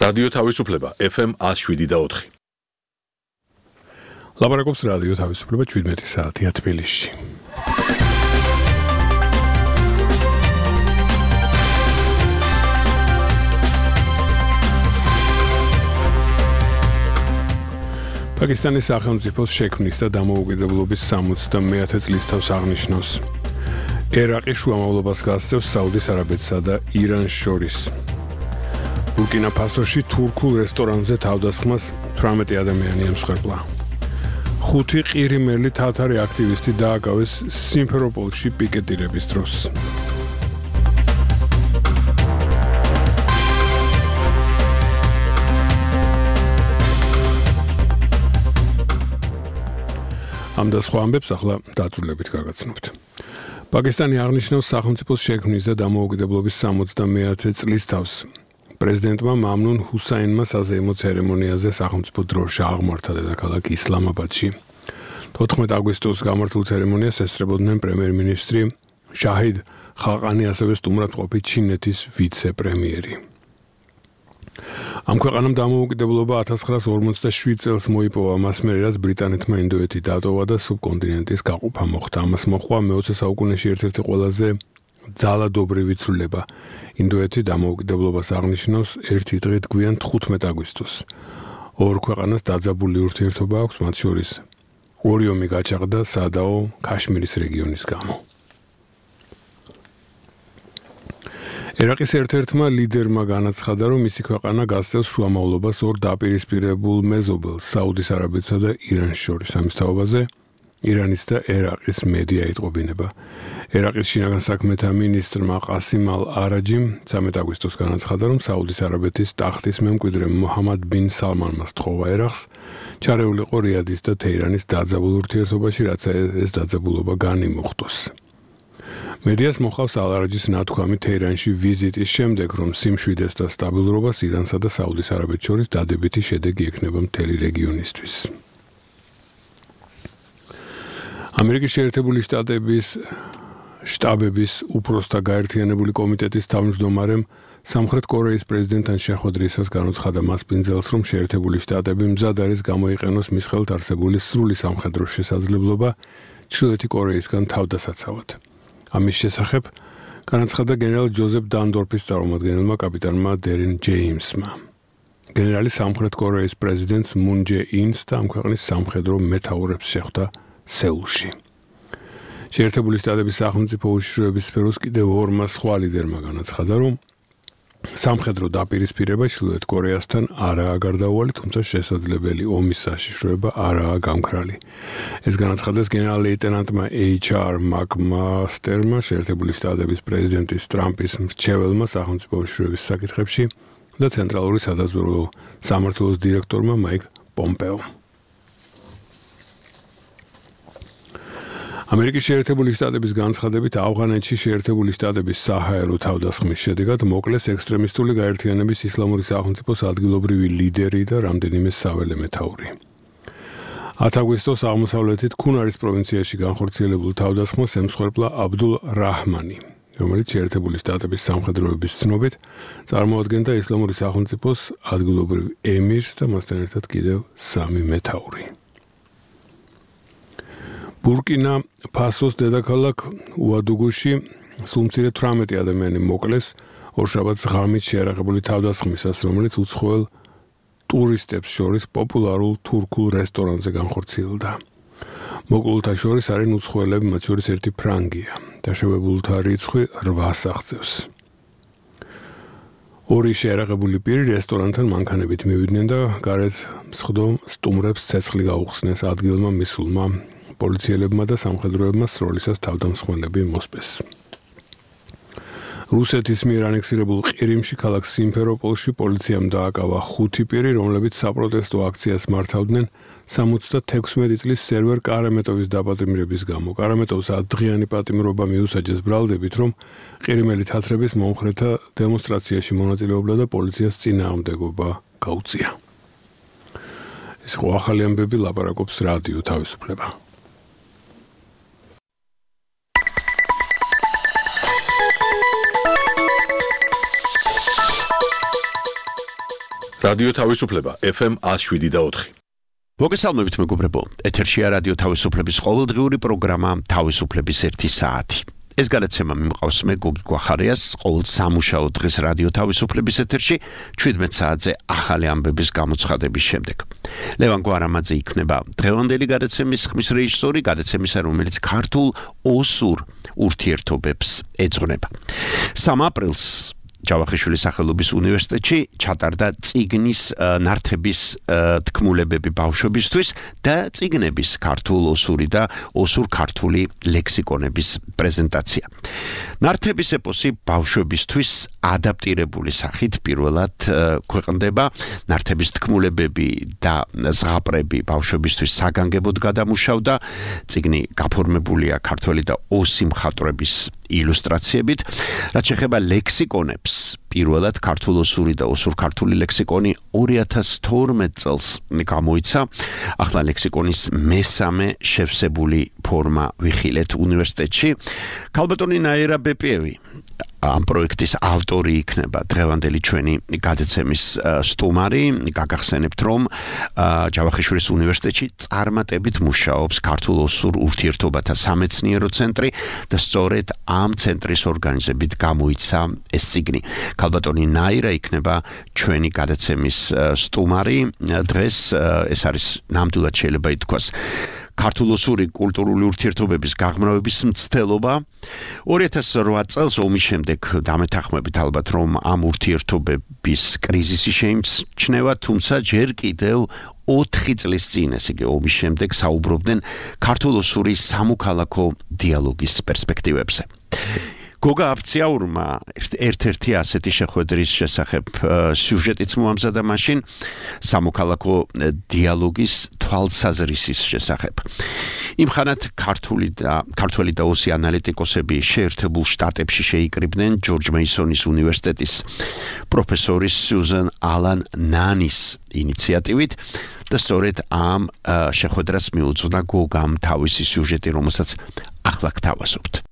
რადიო თავისუფლება FM 107.4. ლაპარაკობს რადიო თავისუფლება 17 საათია თბილისში. პაკისტანის სახელმწიფოს შექმნის და დამოუკიდებლობის 69 წლისთავს აღნიშნავს. ერაყი შუამავლობას გასცემს საუდის არაბეთსა და ირანს შორის. ბურკინა ფასოში თურქულ რესტორანზე თავდასხმას 18 ადამიანი ემსხვერპლა. 5 ყირიმელი თათარი აქტივისტი დააკავეს სიმფეროპოლში პიკეტირების დროს. ამ და სხვა ამბებს ახლა დაწვრილებით გაგაცნობთ. პაკისტანი აღნიშნავს სახელმწიფოს შექმნის და დამოუკიდებლობის 69 წლისთავს. პრეზიდენტმა მამნუნ ჰუსაინმა საზეიმო ცერემონიაზე სახელმწიფო დროშა აღმართა დედაქალაქ ისლამაბადში. 14 აგვისტოს გამართულ ცერემონიას ესწრებოდნენ პრემიერ-მინისტრი შაჰიდ ხაყანი, ასევე სტუმრად ყოფი ჩინეთის ვიცე-პრემიერი. ამ ქვეყანამ დამოუკიდებლობა 1947 წელს მოიპოვა, მას მერე რაც ბრიტანეთმა ინდოეთი დატოვა და სუბკონტინენტის გაყოფა მოხდა. ამას მოჰყვა მე-20 საუკუნეში ერთ-ერთი ყველაზე ძალადობრივი ცვლილება. ინდოეთი დამოუკიდებლობას აღნიშნავს ერთი დღით გვიან 15 აგვისტოს. ორ ქვეყანას დაძაბული ურთიერთობა აქვს, მათ შორის ორი ომი გაჩაღდა სადაო ქაშმირის რეგიონის გამო. ერაყის ერთ-ერთმა ლიდერმა განაცხადა, რომ მისი ქვეყანა გასცემს შუამავლობას ორ დაპირისპირებულ მეზობელს, საუდის არაბეთსა და ირანს შორის. ამის თაობაზე ირანის და ერაყის მედია იტყობინება. ერაყის შინაგან საქმეთა მინისტრმა ყასიმ ალ-არაჯიმ 13 აგვისტოს განაცხადა, რომ საუდის არაბეთის ტახტის მემკვიდრე მუჰამად ბინ სალმანმა სთხოვა ერაყს ჩარეულიყო რიადის და თეირანის დაძაბულ ურთიერთობაში, რაც ეს დაძაბულობა განიმოხტოს. მედიას მოჰყავს ალ-არაჯის ნათქვამი თეირანში ვიზიტის შემდეგ, რომ სიმშვიდეს და სტაბილურობას ირანსა და საუდის არაბეთს შორის დადებითი შედეგი ექნება მთელი რეგიონისთვის. ამერიკის შეერთებული შტატების შტაბების უფროსთა გაერთიანებული კომიტეტის თავმჯდომარემ სამხრეთ კორეის პრეზიდენტთან შეხვედრისას განუცხადა მას პინძელს, რომ შეერთებული შტატები მზად არის გამოიყენოს მის ხელთ არსებული სრული სამხედრო შესაძლებლობა ჩრდილოეთი კორეისგან თავდასაცავად. ამის შესახებ განაცხადა გენერალ ჯოზეფ დანდორფის წარმომადგენელმა კაპიტანმა დერინ ჯეიმსმა. გენერალი სამხრეთ კორეის პრეზიდენტს მუნ ჯე ინს და ამ ქვეყნის სამხედრო მეთაურებს შეხვდა სეულში. შეერთებული შტატების სახელმწიფო უშიშროების სფეროს კიდევ ორმა სხვა ლიდერმა განაცხადა, რომ სამხედრო დაპირისპირება ჩრდილოეთ კორეასთან არაა გარდაუვალი, თუმცა შესაძლებელი ომის საშიშროება არაა გამქრალი. ეს განაცხადეს გენერალ-ლეიტენანტმა HR მაკმასტერმა, შეერთებული შტატების პრეზიდენტის ტრამპის მრჩეველმა სახელმწიფო უშიშროების საკითხებში და ცენტრალური სადაზვერვო სამმართველოს დირექტორმა მაიკ პომპეო. ამერიკის შეერთებული შტატების განცხადებით ავღანეთში შეერთებული შტატების საჰაერო თავდასხმის შედეგად მოკლეს ექსტრემისტული გაერთიანების ისლამური სახელმწიფოს ადგილობრივი ლიდერი და რამდენიმე საველე მეთაური. 10 აგვისტოს აღმოსავლეთით ქუნარის პროვინციაში განხორციელებულ თავდასხმას ემსხვერპლა აბდულ რაჰმანი, რომელიც შეერთებული შტატების სამხედროების ცნობით წარმოადგენდა ისლამური სახელმწიფოს ადგილობრივ ემირს და მასთან ერთად კიდევ 3 მეთაური. ბურკინა ფასოს დედაქალაქ უადუგუში სულ მცირე 18 ადამიანი მოკლეს ორშაბათს ღამით შეიარაღებული თავდასხმისას, რომელიც უცხოელ ტურისტებს შორის პოპულარულ თურქულ რესტორანზე განხორციელდა. მოკლულთა შორის არიან უცხოელები, მათ შორის ერთი ფრანგია. დაშავებულთა რიცხვი 8-ს აღწევს. ორი შეიარაღებული პირი რესტორანთან მანქანებით მივიდნენ და გარეთ მსხდომ სტუმრებს ცეცხლი გაუხსნეს. ადგილმა მისულმა პოლიციელებმა და სამხედროებმა სროლისას თავდამსხმელები მოსპეს. რუსეთის მიერ ანექსირებულ ყირიმში ქალაქ სიმფეროპოლში პოლიციამ დააკავა 5 პირი, რომლებიც საპროტესტო აქციას მართავდნენ 76 წლის სერვერ კარამეტოვის დაპატიმრების გამო. კარამეტოვს 10 დღიანი პატიმრობა მიუსაჯეს ბრალდებით, რომ ყირიმელი თათრების მომხრეთა დემონსტრაციაში მონაწილეობდა და პოლიციას წინააღმდეგობა გაუწია. ეს ხო ახალი ამბები, ლაპარაკობს რადიო თავისუფლება. რადიო თავისუფლება FM 107.4. მოგესალმებით მეგობრებო, ეთერშია რადიო თავისუფლების ყოველდღიური პროგრამა თავისუფლების 1 საათი. ეს გადაცემა მიმყავს მე გოგი გვახარიას ყოველ სამუშაო დღეს რადიო თავისუფლების ეთერში 17 საათზე ახალი ამბების გამოცხადების შემდეგ. ლევან გვარამაძე იქნება დღევანდელი გადაცემის ხმის რეჟისორი, გადაცემისა რომელიც ქართულ ოსურ ურთიერთობებს ეძღვნება. 3 აპრილს ჯავახიშვილის სახელობის უნივერსიტეტში ჩატარდა წიგნის ნართების თქმულებები ბავშვებისთვის და წიგნების ქართულ ოსური და ოსურ-ქართული ლექსიკონების პრეზენტაცია. ნართების ეპოსი ბავშვებისთვის ადაპტირებული სახით პირველად ქვეყნდება. ნართების თქმულებები და ზღაპრები ბავშვებისთვის საგანგებოდ გადამუშავდა. წიგნი გაფორმებულია ქართველი და ოსი მხატვრების ილუსტრაციებით. რაც შეეხება ლექსიკონებს, პირველად ქართულ-ოსური და ოსურ-ქართული ლექსიკონი 2012 წელს გამოიცა. ახლა ლექსიკონის მესამე შევსებული ფორმა ვიხილეთ უნივერსიტეტში. ქალბატონი ნაირა ბეპიევი ამ პროექტის ავტორი იქნება დღევანდელი ჩვენი გადაცემის სტუმარი. გაგახსენებთ, რომ ჯავახიშვილის უნივერსიტეტში წარმატებით მუშაობს ქართულ-ოსურ ურთიერთობათა სამეცნიერო ცენტრი და სწორედ ამ ცენტრის ორგანიზებით გამოიცა ეს წიგნი. ქალბატონი ნაირა იქნება ჩვენი გადაცემის სტუმარი. დღეს ეს არის ნამდვილად შეიძლება ითქვას ქართულ-ოსური კულტურული ურთიერთობების გაღრმავების მცდელობა. 2008 წელს ომის შემდეგ დამეთანხმებით ალბათ, რომ ამ ურთიერთობების კრიზისი შეიმჩნევა, თუმცა ჯერ კიდევ 4 წლის წინ, ესე იგი ომის შემდეგ საუბრობდნენ ქართულ-ოსური სამოქალაქო დიალოგის პერსპექტივებზე. გოგა აფციაურმა ერთ-ერთი ასეთი შეხვედრის შესახებ სიუჟეტიც მოამზადა მაშინ სამოქალაქო დიალოგის თვალსაზრისის შესახებ. იმხანად ქართველი და ოსი ანალიტიკოსები შეერთებულ შტატებში შეიკრიბნენ ჯორჯ მეისონის უნივერსიტეტის პროფესორის სიუზან ალან ნანის ინიციატივით და სწორედ ამ შეხვედრას მიუძღვნა გოგამ თავისი სიუჟეტი, რომელსაც ახლა გთავაზობთ.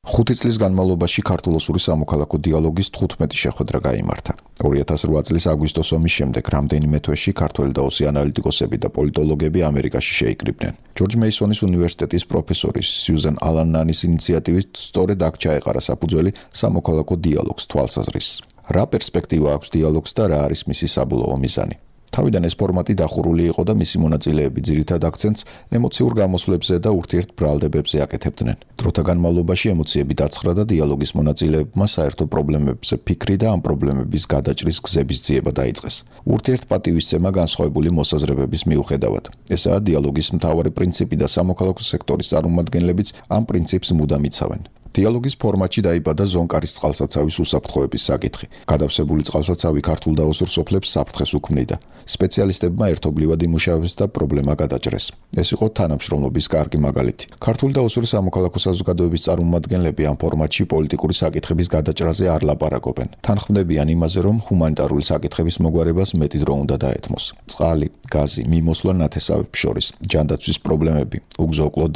5 წლის განმავლობაში ქართულ-ოსური სამოქალაქო დიალოგის 15 შეხვედრა გაიმართა. 2008 წლის აგვისტოს ომის შემდეგ რამდენიმე თვეში ქართველი და ოსი ანალიტიკოსები და პოლიტოლოგები ამერიკაში შეიკრიბნენ. ჯორჯ მეისონის უნივერსიტეტის პროფესორის სიუზან ალან ნანის ინიციატივით სწორედ აქ ჩაეყარა საფუძველი სამოქალაქო დიალოგს თვალსაზრისს. რა პერსპექტივა აქვს დიალოგს და რა არის მისი საბოლოო მიზანი? თავიდან ეს ფორმატი დახურული იყო და მისი მონაწილეები ძირითად აქცენტს ემოციურ გამოსვლებებზე და ურთიერთბრალდებებზე აკეთებდნენ. დროთა განმავლობაში ემოციები დაცხრა და დიალოგის მონაწილეებმა საერთო პრობლემებზე ფიქრი და ამ პრობლემების გადაჭრის გზების ძიება დაიწყეს. ურთიერთპატივისცემა განსხვავებული მოსაზრებების მიუხედავად. ესაა დიალოგის მთავარი პრინციპი და სამოქალაქო სექტორის წარმომადგენლებიც ამ პრინციპს მუდამ იცავენ. დიალოგის ფორმატში დაიბადა ზონკარის წყალსაცავის უსაფრთხოების საკითხი. გადავსებული წყალსაცავი ქართულ და ოსურ სოფლებს საფრთხეს უქმნიდა. სპეციალისტებმა ერთობლივად იმუშავეს და პრობლემა გადაჭრეს. ეს იყო თანამშრომლობის კარგი მაგალითი. ქართული და ოსური სამოქალაქო საზოგადოების წარმომადგენლები ამ ფორმატში პოლიტიკური საკითხების გადაჭრაზე არ ლაპარაკობენ. თანხმდებიან იმაზე, რომ ჰუმანიტარული საკითხების მოგვარებას მეტი დრო უნდა დაეთმოს. წყალი, გაზი, მიმოსვლა ნათესავებს შორის, ჯანდაცვის პრობლემები, უგზო-უკლოდ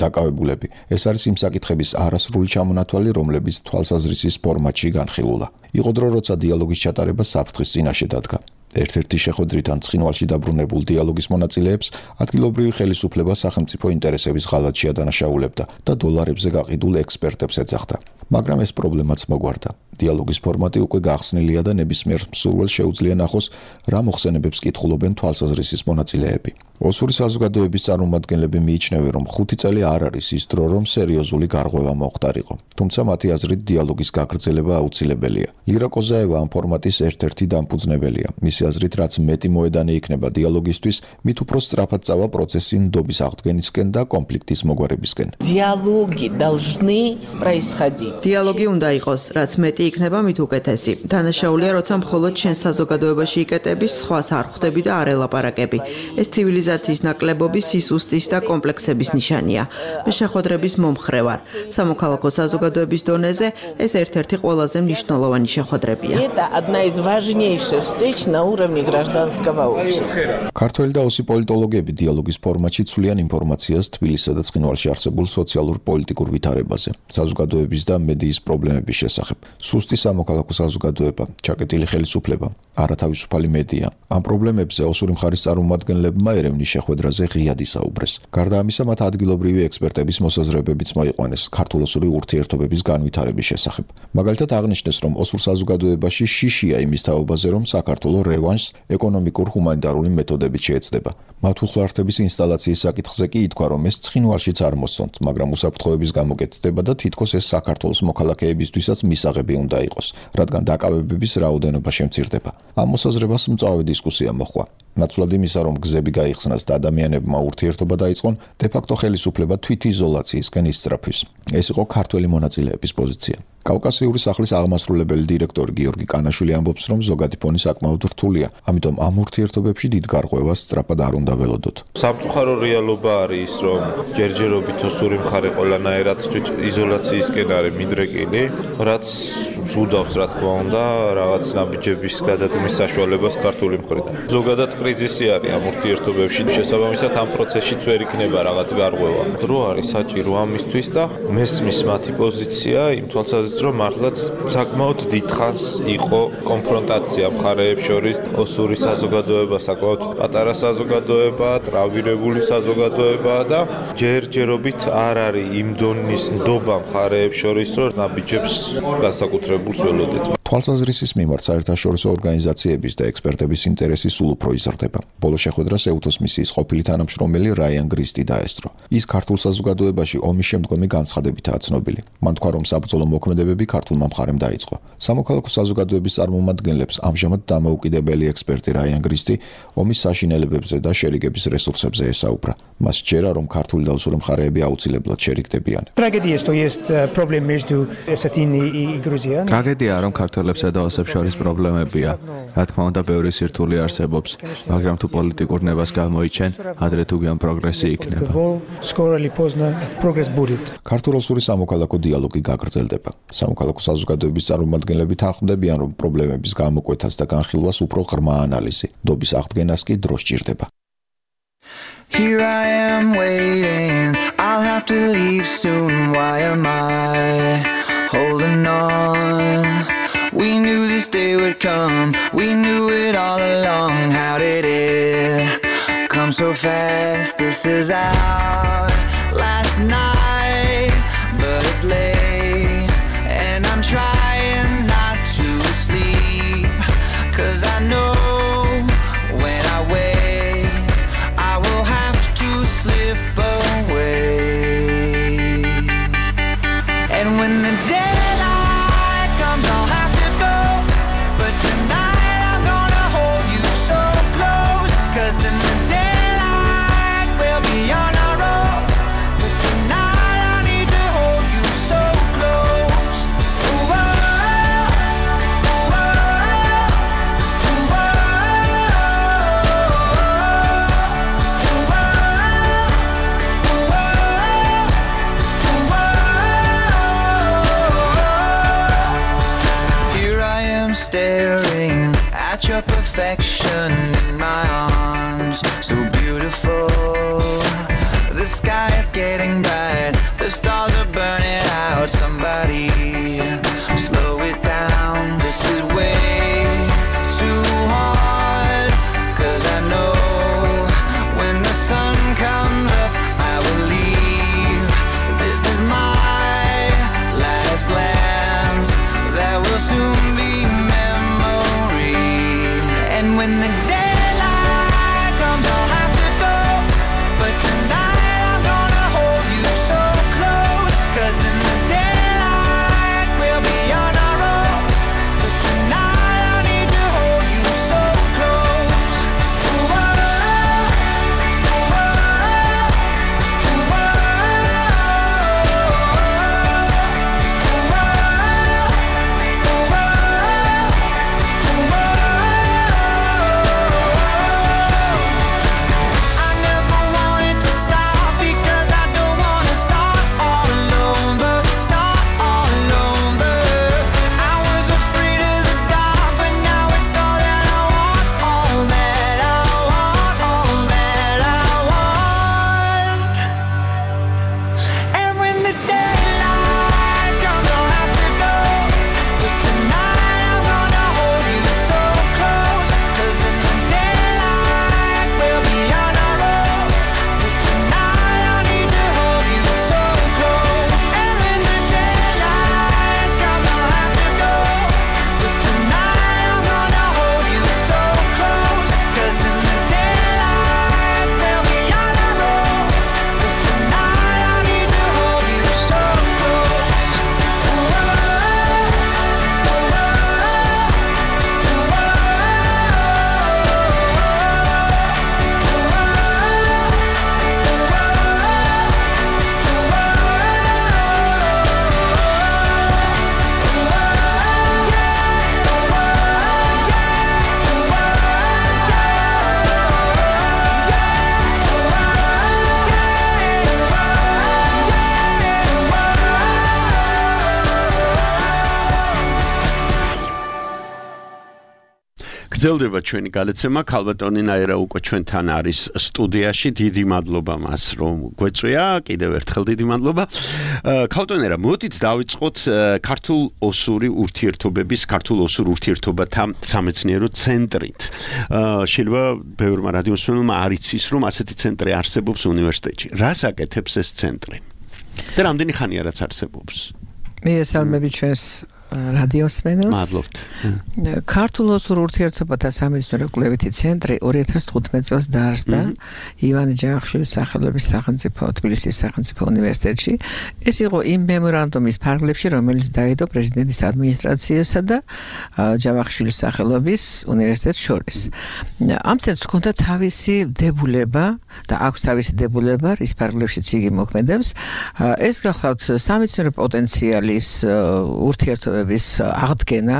დაკავებულები. ეს არის იმ საკითხების არასრული ჩამონათვალი, რომლებიც თვალსაზრისის ფორმატში განხილულა. იყო დრო, როცა დიალოგის ჩატარება საფრთხის წინაშე დადგა. ერთ-ერთი შეხვედრით ან ცხინვალში დაბრუნებულ დიალოგის მონაწილეებს ადგილობრივი ხელისუფლება სახელმწიფო ინტერესების ღალატში ადანაშაულებდა და დოლარებზე გაყიდულ ექსპერტებს ეძახდა. მაგრამ ეს პრობლემაც მოგვარდა. დიალოგის ფორმატი უკვე გახსნილია და ნებისმიერ მსურველს შეუძლია ნახოს, რა მოხსენებებს კითხულობენ თვალსაზრისის მონაწილეები. ოსური საზოგადოების წარმომადგენლები მიიჩნევენ, რომ 5 წელი არ არის ის დრო, რომ სერიოზული გარღვევა მოხდარიყო. თუმცა მათი აზრით დიალოგის გაგრძელება აუცილებელია. ირა კოზაევა ამ ფორმატის ერთ-ერთი დამფუძნებელია. მისი აზრით, რაც მეტი მოედანი იქნება დიალოგისთვის, მით უფრო სწრაფად წავა პროცესი ნდობის აღდგენისკენ და კონფლიქტის მოგვარებისკენ. Диалоги должны происходить. დიალოგი უნდა იყოს, რაც მეტი იქნება, მით უკეთესი. დანაშაულია, როცა მხოლოდ შენ საზოგადოებაში იკეტები, სხვას არ ხვდები და არ ელაპარაკები. ეს ცივილიზაცია მობილიზაციის ნაკლებობის სისუსტის და კომპლექსების ნიშანია. მე შეხვედრების მომხრე ვარ. სამოქალაქო საზოგადოების დონეზე ეს ერთ-ერთი ყველაზე მნიშვნელოვანი შეხვედრებია. Это одна из важнейших встреч на уровне гражданского общества. ქართველი და ოსი პოლიტოლოგები დიალოგის ფორმატში ცვლიან ინფორმაციას თბილისსა და ცხინვალში არსებულ სოციალურ-პოლიტიკურ ვითარებაზე, საზოგადოების და მედიის პრობლემების შესახებ. სუსტი სამოქალაქო საზოგადოება, ჩაკეტილი ხელისუფლება, არათავისუფალი მედია. ამ პრობლემებზე ოსური მხარის წარმომადგენლებმა ერევნის შეხვედრაზე ღიად ისაუბრეს. გარდა ამისა, მათ ადგილობრივი ექსპერტების მოსაზრებებიც მოიყვანეს ქართულ-ოსური ურთიერთობების განვითარების შესახებ. მაგალითად აღნიშნეს, რომ ოსურ საზოგადოებაში შიშია იმის თაობაზე, რომ საქართველოს რევანშს ეკონომიკურ-ჰუმანიტარული მეთოდებით შეეცდება. მათ უხლართების ინსტალაციის საკითხზე კი ითქვა, რომ ეს ცხინვალშიც არ მოსწონთ, მაგრამ უსაფრთხოების გამოკეთდება და თითქოს ეს საქართველოს მოქალაქეებისთვისაც მისაღები უნდა იყოს, რადგან დაკავებების რაოდენობა შემცირდება. ამ მოსაზრებას მწვავე დისკუსია მოჰყვა. ნაცვლად იმისა, რომ გზები გაიხსნას და ადამიანებმა ურთიერთობა დაიწყონ, დე-ფაქტო ხელისუფლება თვითიზოლაციისკენ ისწრაფვის. ეს იყო ქართველი მონაწილეების პოზიცია. კავკასიური სახლის აღმასრულებელი დირექტორი გიორგი კანაშვილი ამბობს, რომ ზოგადი ფონი საკმაოდ რთულია, ამიტომ ამ ურთიერთობებში დიდ გარღვევას სწრაფად არ უნდა ველოდოთ. სამწუხარო რეალობა არის ის, რომ ჯერჯერობით ოსური მხარე ყველანაირად თვითიზოლაციისკენ არის მიდრეკილი, რაც უდავს რა თქმა უნდა რაღაც ნაბიჯების გადადგმის საშუალებას ქართული მხრიდან. ზოგადად კრიზისი არის ამ ურთიერთობებში, შესაბამისად ამ პროცესშიც ვერ იქნება რაღაც გარღვევა. დრო არის საჭირო ამისთვის და მესმის მათი პოზიცია იმ თვალსაზრისით, რომ მართლაც საკმაოდ დიდხანს იყო კონფრონტაცია მხარეებს შორის, ოსური საზოგადოება საკმაოდ პატარა საზოგადოებაა, ტრავმირებული საზოგადოებაა და ჯერჯერობით არ არის იმ დონის ნდობა მხარეებს შორის, რომ ნაბიჯებს განსაკუთრებულს ველოდეთ. თვალსაზრისის მიმართ საერთაშორისო ორგანიზაციების და ექსპერტების ინტერესი სულ უფრო იზრდება. ბოლო შეხვედრას ეუთოს მისიის ყოფილი თანამშრომელი რაიან გრისტი დაესწრო. ის ქართულ საზოგადოებაში ომის შემდგომი განცხადებითაა ცნობილი. მან თქვა, რომ საბრძოლო მოქმედებები ქართულმა მხარემ დაიწყო. სამოქალაქო საზოგადოების წარმომადგენლებს ამჟამად დამოუკიდებელი ექსპერტი რაიან გრისტი ომის საშინელებებზე და შერიგების რესურსებზე ესაუბრა. მას სჯერა, რომ ქართული და ოსური მხარეები აუცილებლად შერიგდებიან. ტრაგედია, რომ ქართველებსა და ოსებს შორის პრობლემებია. რა თქმა უნდა, ბევრი სირთულე არსებობს, მაგრამ თუ პოლიტიკურ ნებას გამოიჩენ, ადრე თუ გიან პროგრესი იქნება. ქართულ-ოსური სამოქალაქო დიალოგი გაგრძელდება. სამოქალაქო საზოგადოების წარმომადგენლები თანხმდებიან, რომ პრობლემების გამოკვეთას და განხილვას უფრო ღრმა ანალიზი, ნდობის აღდგენას კი დრო სჭირდება. Here I am waiting, I'll have to leave soon, why am I holding on? We knew this day would come, we knew it all along, how did it come so fast? This is our last night, but it's late, and I'm trying not to sleep, 'cause I know when I wake, I will have to slip away, and when the daylight comes, I'll have to go, but tonight I'm gonna hold you so close, 'cause in the daylight we'll be on our own, but tonight I need to hold you so close. Ooh, oh, ooh, oh, ooh, oh, ooh, oh. Here I am staring at your perfection in my arms, so beautiful. The sky is getting bright, the stars are burning out. Somebody slow it down, this is way too hard, 'cause I know when the sun comes up, I will leave. This is my last glance, that will soon be memory, and when the day გრძელდება ჩვენი გადაცემა. ქალბატონი ნაირა უკვე ჩვენთან არის სტუდიაში. დიდი მადლობა მას, რომ გვეწვია. კიდევ ერთხელ დიდი მადლობა. ქალბატონი ნაირა, მოდით დავიწყოთ ქართულ-ოსური ურთიერთობების, ქართულ-ოსურ ურთიერთობათა სამეცნიერო ცენტრით. შეიძლება ბევრმა რადიომსმენელმა არ იცის, რომ ასეთი ცენტრი არსებობს უნივერსიტეტში. რას აკეთებს ეს ცენტრი? და რამდენი ხანია რაც არსებობს? მიესალმები ჩვენს რადიოსმენელს. მადლობთ. ქართულ-ოსურ ურთიერთობათა სამეცნიერო კვლევითი ცენტრი 2015 წელს დაარსდა ივანე ჯავახიშვილის სახელობის სახელმწიფო თბილისის სახელმწიფო უნივერსიტეტში. ეს იყო იმ მემორანდუმის ფარგლებში, რომელიც დაედო პრეზიდენტის ადმინისტრაციასა და ჯავახიშვილის სახელობის უნივერსიტეტს შორის. ამ ცენტრს ჰქონდა თავისი დებულება და აქვს თავისი დებულება, რის ფარგლებშიც იგი მოქმედებს. ეს გახლავთ სამეცნიერო პოტენციალის ურთიერთობების აღდგენა,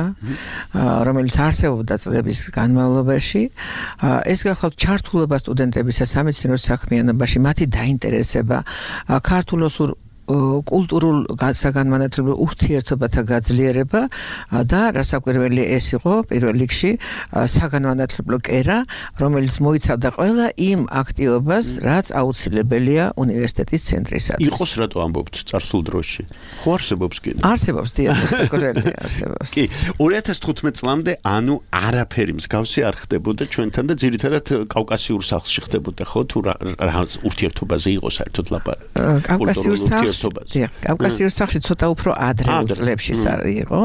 რომელიც არსებობდა წლების განმავლობაში. ეს გახლავთ ჩართულობა სტუდენტებისა სამეცნიერო საქმიანობაში, მათი დაინტერესება, ქართულ-ოსურ კულტურულ საგანმანათლებლო ურთიერთობათა გაძლიერება და რასაკვირველი ეს იყო პირველ რიგში საგანმანათლებლო კერა, რომელიც მოიცავდა ყველა იმ აქტივობას, რაც აუცილებელია უნივერსიტეტის ცენტრისათვის. იყოს რატო ამბობთ წარსულ დროში? ხო არსებობს კიდე? არსებობს, დიახ, საკურველი არსებობს. კი, 2015 წლამდე ანუ არაფერი მსგავსი არ ხდებოდა ჩვენთან და ძირითადად კავკასიურ სახლში ხდებოდა, ხო? თუ რა ურთიერთობაზე იყო საერთოდ ლაპარაკი? კავკასიურ სახლში კავკასიურ სახლში ცოტა უფრო ადრეულ წლებში იყო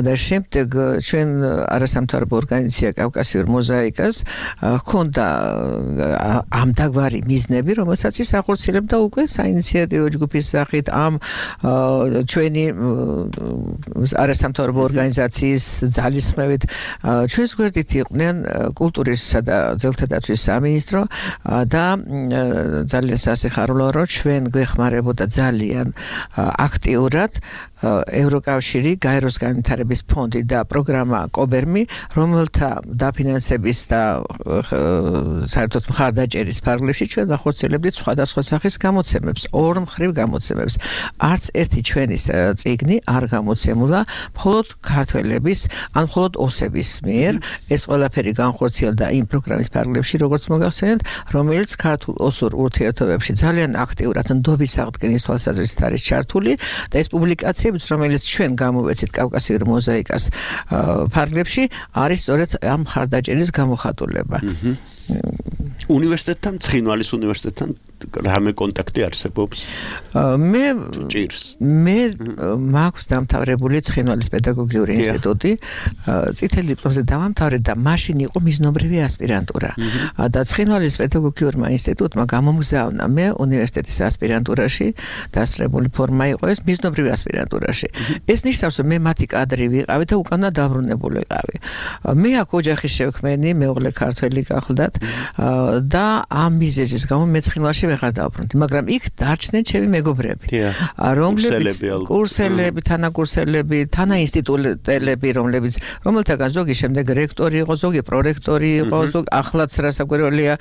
და შემდეგ ჩვენ არასამთავრობო ორგანიზაცია კავკასიურ მოზაიკას ჰქონდა ამდაგვარი მიზნები, რომელსაც ის ახორციელებდა უკვე საინიციატივო ჯგუფის სახით ამ ჩვენი არასამთავრობო ორგანიზაციის ძალისხმევით. ჩვენს გვერდით იყვნენ კულტურისა და ძელთა დაცვის სამინისტრო და ძალიან სასიხარულოა, რომ ჩვენ გვეხმარებოდა ძალიან აქტიურად ევროკავშირი, გაეროს განვითარების ფონდი და პროგრამა კობერმი, რომელთა დაფინანსების და საერთოდ მხარდაჭერის ფარგლებში ჩვენ ვახორციელებდით სხვადასხვა სახის გამოცემებს, ორმხრივ გამოცემებს. არც ერთი ჩვენი წიგნი არ გამოცემულა მხოლოდ ქართველების, ან მხოლოდ ოსების მიერ. ეს ყველაფერი განხორციელდა იმ პროგრამის ფარგლებში, როგორც მოგახსენეთ, რომელიც ქართულ-ოსურ ურთიერთობებში ძალიან აქტიურად ნდობის აღდგენის თვალსაზრისით არის ჩართული და ეს პუბლიკაციებიც, რომელიც ჩვენ გამოვეცით კავკასიურ მოზაიკას ფარგლებში, არის სწორედ ამ მხარდაჭერის გამოხატულება. უნივერსიტეტთან, ცხინვალის უნივერსიტეტთან რამე კონტაქტი არსებობს? მე მაქვს დამთავრებული ცხინვალის პედაგოგიური ინსტიტუტი, წითელ დიპლომზე დავამთავრე და მაშინ იყო მიზნობრივი ასპირანტურა. და ცხინვალის პედაგოგიურმა ინსტიტუტმა გამომგზავნა მე უნივერსიტეტის ასპირანტურაში, დასწრებული ფორმა იყო ეს მიზნობრივი ასპირანტურაში. ეს ნიშნავს, რომ მე მათი კადრი ვიყავი და უკანა დაბრუნებულიყავი. მე აქ ოჯახი შევქმენი, მეუღლე ქართველი გახლდათ და ამ მიზეზის გამო მე ცხინვალში ვეღარ დავბრუნდი, მაგრამ იქ დარჩნენ ჩემი მეგობრები, რომლებიც კურსელები, თანაკურსელები, თანაინსტიტუტელები, რომელთაგან ზოგი შემდეგ რექტორი იყო, ზოგი პრორექტორი იყო, ზოგი ახლაც რასაკვირველია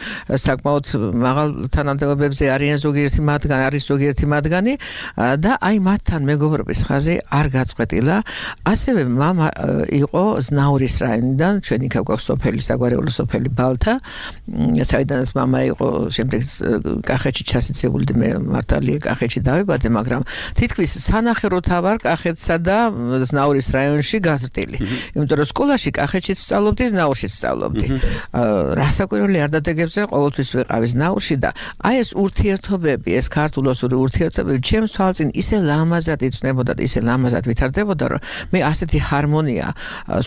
საკმაოდ მაღალ თანამდებობებზე არის ზოგიერთი მათგანი და აი მათთან მეგობრობის ხაზი არ გაწყვეტილა. ასევე მამა იყო ზნაურის რაიონიდან, ჩვენი ქავკას სოფელი, საგვარეულო სოფელი ბალთა, საიდანაც მამა იყო, შემდეგ კახეთში ჩასიცებული და მე მართალია კახეთში დავიბადე, მაგრამ თითქმის სანახევროთავარ კახეთსა და ზნაურის რაიონში გაზრდილი. იმიტომ რომ სკოლაში კახეთში ვსწავლობდი, ზნაურში ვსწავლობდი. რასაკვირველი არ დადეგებზე ყოველთვის ვიყავი ზნაურში და აი ეს ურთიერთობები, ეს ქართულ-ოსური ურთიერთობები ჩემს თვალწინ ისე ლამაზად იწნებოდა და ისე ლამაზად ვითარდებოდა, რომ მე ასეთი ჰარმონია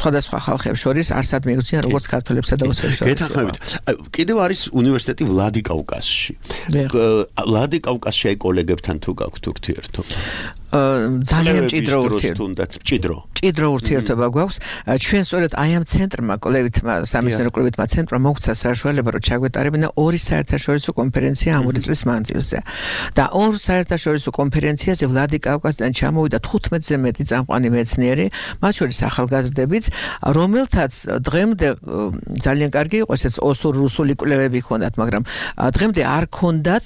სხვადასხვა ხალხებს შორის არსად მიგვწია, როგორც ქართველებსა და ოსებს შორის. გეთანხმებით. კიდევ არის უნივერსიტეტი ვლადიკავკაზში. ვლადიკავკაზში აი კოლეგებთან თუ გაქვთ ურთიერთობა? ძალიან მჭიდრო ურთიერთობა გვაქვს. ჩვენ სწორედ აი ამ ცენტრმა, სამეცნიერო კვლევითმა ცენტრმა მოგვცა საშუალება, რომ ჩაგვეტარებინა ორი საერთაშორისო კონფერენცია ამ ორი წლის მანძილზე. და ორ საერთაშორისო კონფერენციაზე ვლადიკავკაზიდან ჩამოვიდა 15-ზე მეტი წამყვანი მეცნიერი, მათ შორის ახალგაზრდებიც, რომელთაც დღემდე ძალიან კარგი იყო ესეც ოსურ-რუსული კვლევები ჰქონდათ, მაგრამ დღემდე არ ჰქონდათ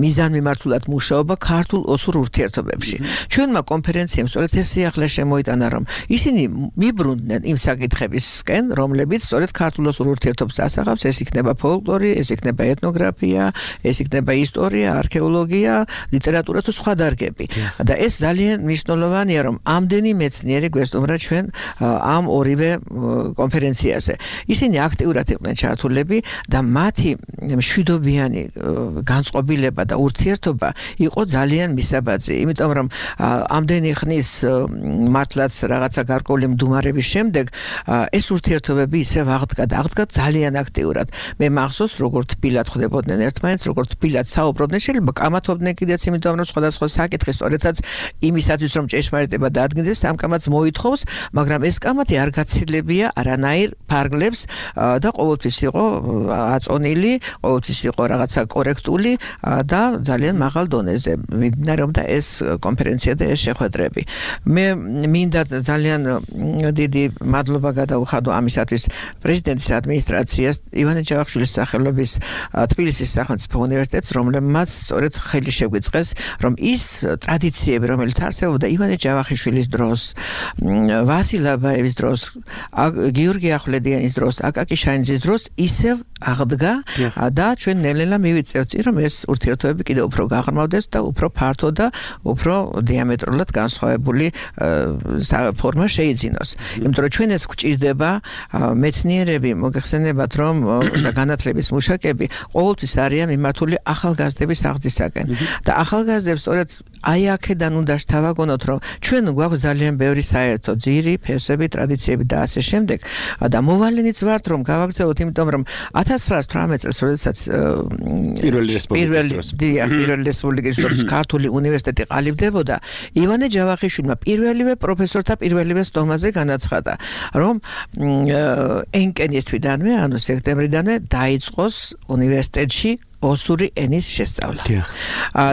მიზანმიმართულად მუშაობა ქართულ-ოსურ ურთიერთობებში. ჩვენმა კონფერენციამ სწორედ ეს სიახლე შემოიტანა, რომ ისინი მიბრუნდნენ იმ საკითხებისკენ, რომლებიც სწორედ ქართულ-ოსურ ურთიერთობას ასახავს, ეს იქნება ფოლკლორი, ეს იქნება ეთნოგრაფია, ეს იქნება ისტორია, არქეოლოგია, ლიტერატურა თუ სხვა დარგები. და ეს ძალიან მნიშვნელოვანია, რომ ამდენი მეცნიერი გვესტუმრა ჩვენ ამ ორივე კონფერენციაზე. ისინი აქტიურად იყვნენ ჩართულები და მათი მშვიდობიანი განწყობილება და ურთიერთობა იყო ძალიან მისაბაძი, იმიტომ რომ ამდენი ხნის მართლაც რაღაცა გარკვეული მდუმარების შემდეგ ეს ურთიერთობები ისევ აღდგა ძალიან აქტიურად. მე მახსოვს, როგორ თბილად ხვდებოდნენ ერთმანეთს, როგორ თბილად საუბრობდნენ, შეიძლება კამათობდნენ კიდეც, იმიტომ რომ სხვადასხვა საკითხი სწორედაც იმისათვის რომ ჭეშმარიტება დადგინდეს, სამკამათს მოითხოვს, მაგრამ ეს კამათი არ გაცილებია არანაირ ფარგლებს და ყოველთვის იყო აწონილი, ყოველთვის იყო რაღაცა კორექტული და ძალიან მაღალ დონეზე მიმდინარეობდა ეს კონფერენცია და ეს შეხვედრები. მე მინდა ძალიან დიდი მადლობა გადაუხადო ამისათვის პრეზიდენტის ადმინისტრაციას, ივანე ჯავახიშვილის სახელობის თბილისის სახელმწიფო უნივერსიტეტს, რომლებმაც სწორედ ხელი შეგვიწყეს, რომ ის ტრადიციები, რომელიც არსებობდა ივანე ჯავახიშვილის დროს, ვასილ აბაევის დროს, გიორგი ახვლედიანის დროს, აკაკი შანიძის დროს ისევ აღდგა და ჩვენ ნელ-ნელა მივიწევთ, რომ ეს ურთიერთობები კიდევ უფრო გაღრმავდეს და უფრო ფართო და უფრო დიამეტრულად განსხვავებული ფორმა შეიძინოს. იმიტომ რომ ჩვენ ეს გვჭირდება, მეცნიერები მოგეხსენებათ, რომ განათლების მუშაკები ყოველთვის არიან მიმართული ახალგაზრდების აღზრდისაკენ და ახალგაზრდებს სწორედ აი აქედან უნდა შევაგონოთ, რომ ჩვენ გვაქვს ძალიან ბევრი საერთო ძირი, ფესები, ტრადიციები და ასე შემდეგ და მოვალენიც ვართ, რომ გავაგრძელოთ, იმიტომ რომ 1918 წელს, როდესაც პირველი რესპუბლიკის დროს ქართული უნივერსიტეტი ყალიბდებოდა, ივანე ჯავახიშვილმა პირველივე პროფესორთა პირველივე სტომაზე განაცხადა, რომ ენკენის თვიდანვე, ანუ სექტემბრიდანვე დაიწყოს უნივერსიტეტში ოსური ენის შესწავლა.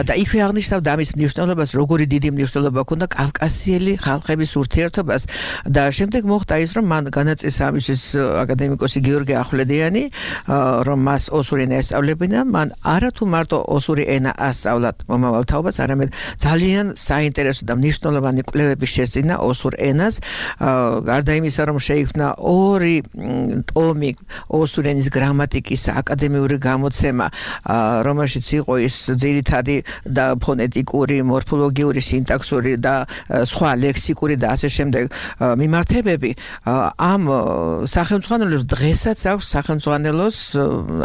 და იქვე აღნიშნავდა ამის მნიშვნელობას, როგორი დიდი მნიშვნელობა ჰქონდა კავკასიელი ხალხების ურთიერთობას და შემდეგ მოხდა ის, რომ მან განაწესა ამისთვის აკადემიკოსი გიორგი ახვლედიანი, რომ მას ოსური ენა ესწავლებინა, მან არათუ მარტო ოსური ენა ასწავლა მომავალ თაობას, არამედ ძალიან საინტერესო და მნიშვნელოვანი კვლევები შესწინა ოსურ ენას, გარდა იმისა, რომ შეიქმნა 2 ტომი ოსურ ენის გრამატიკის აკადემიური გამოცემა, რომელშიც იყო ის ძირითადი და ფონეტიკური, მორფოლოგიური, სინტაქსური და სხვა ლექსიკური და ასე შემდეგ მიმართებები, ამ სახელმძღვანელოს დღესაც აქვს სახელმძღვანელოს,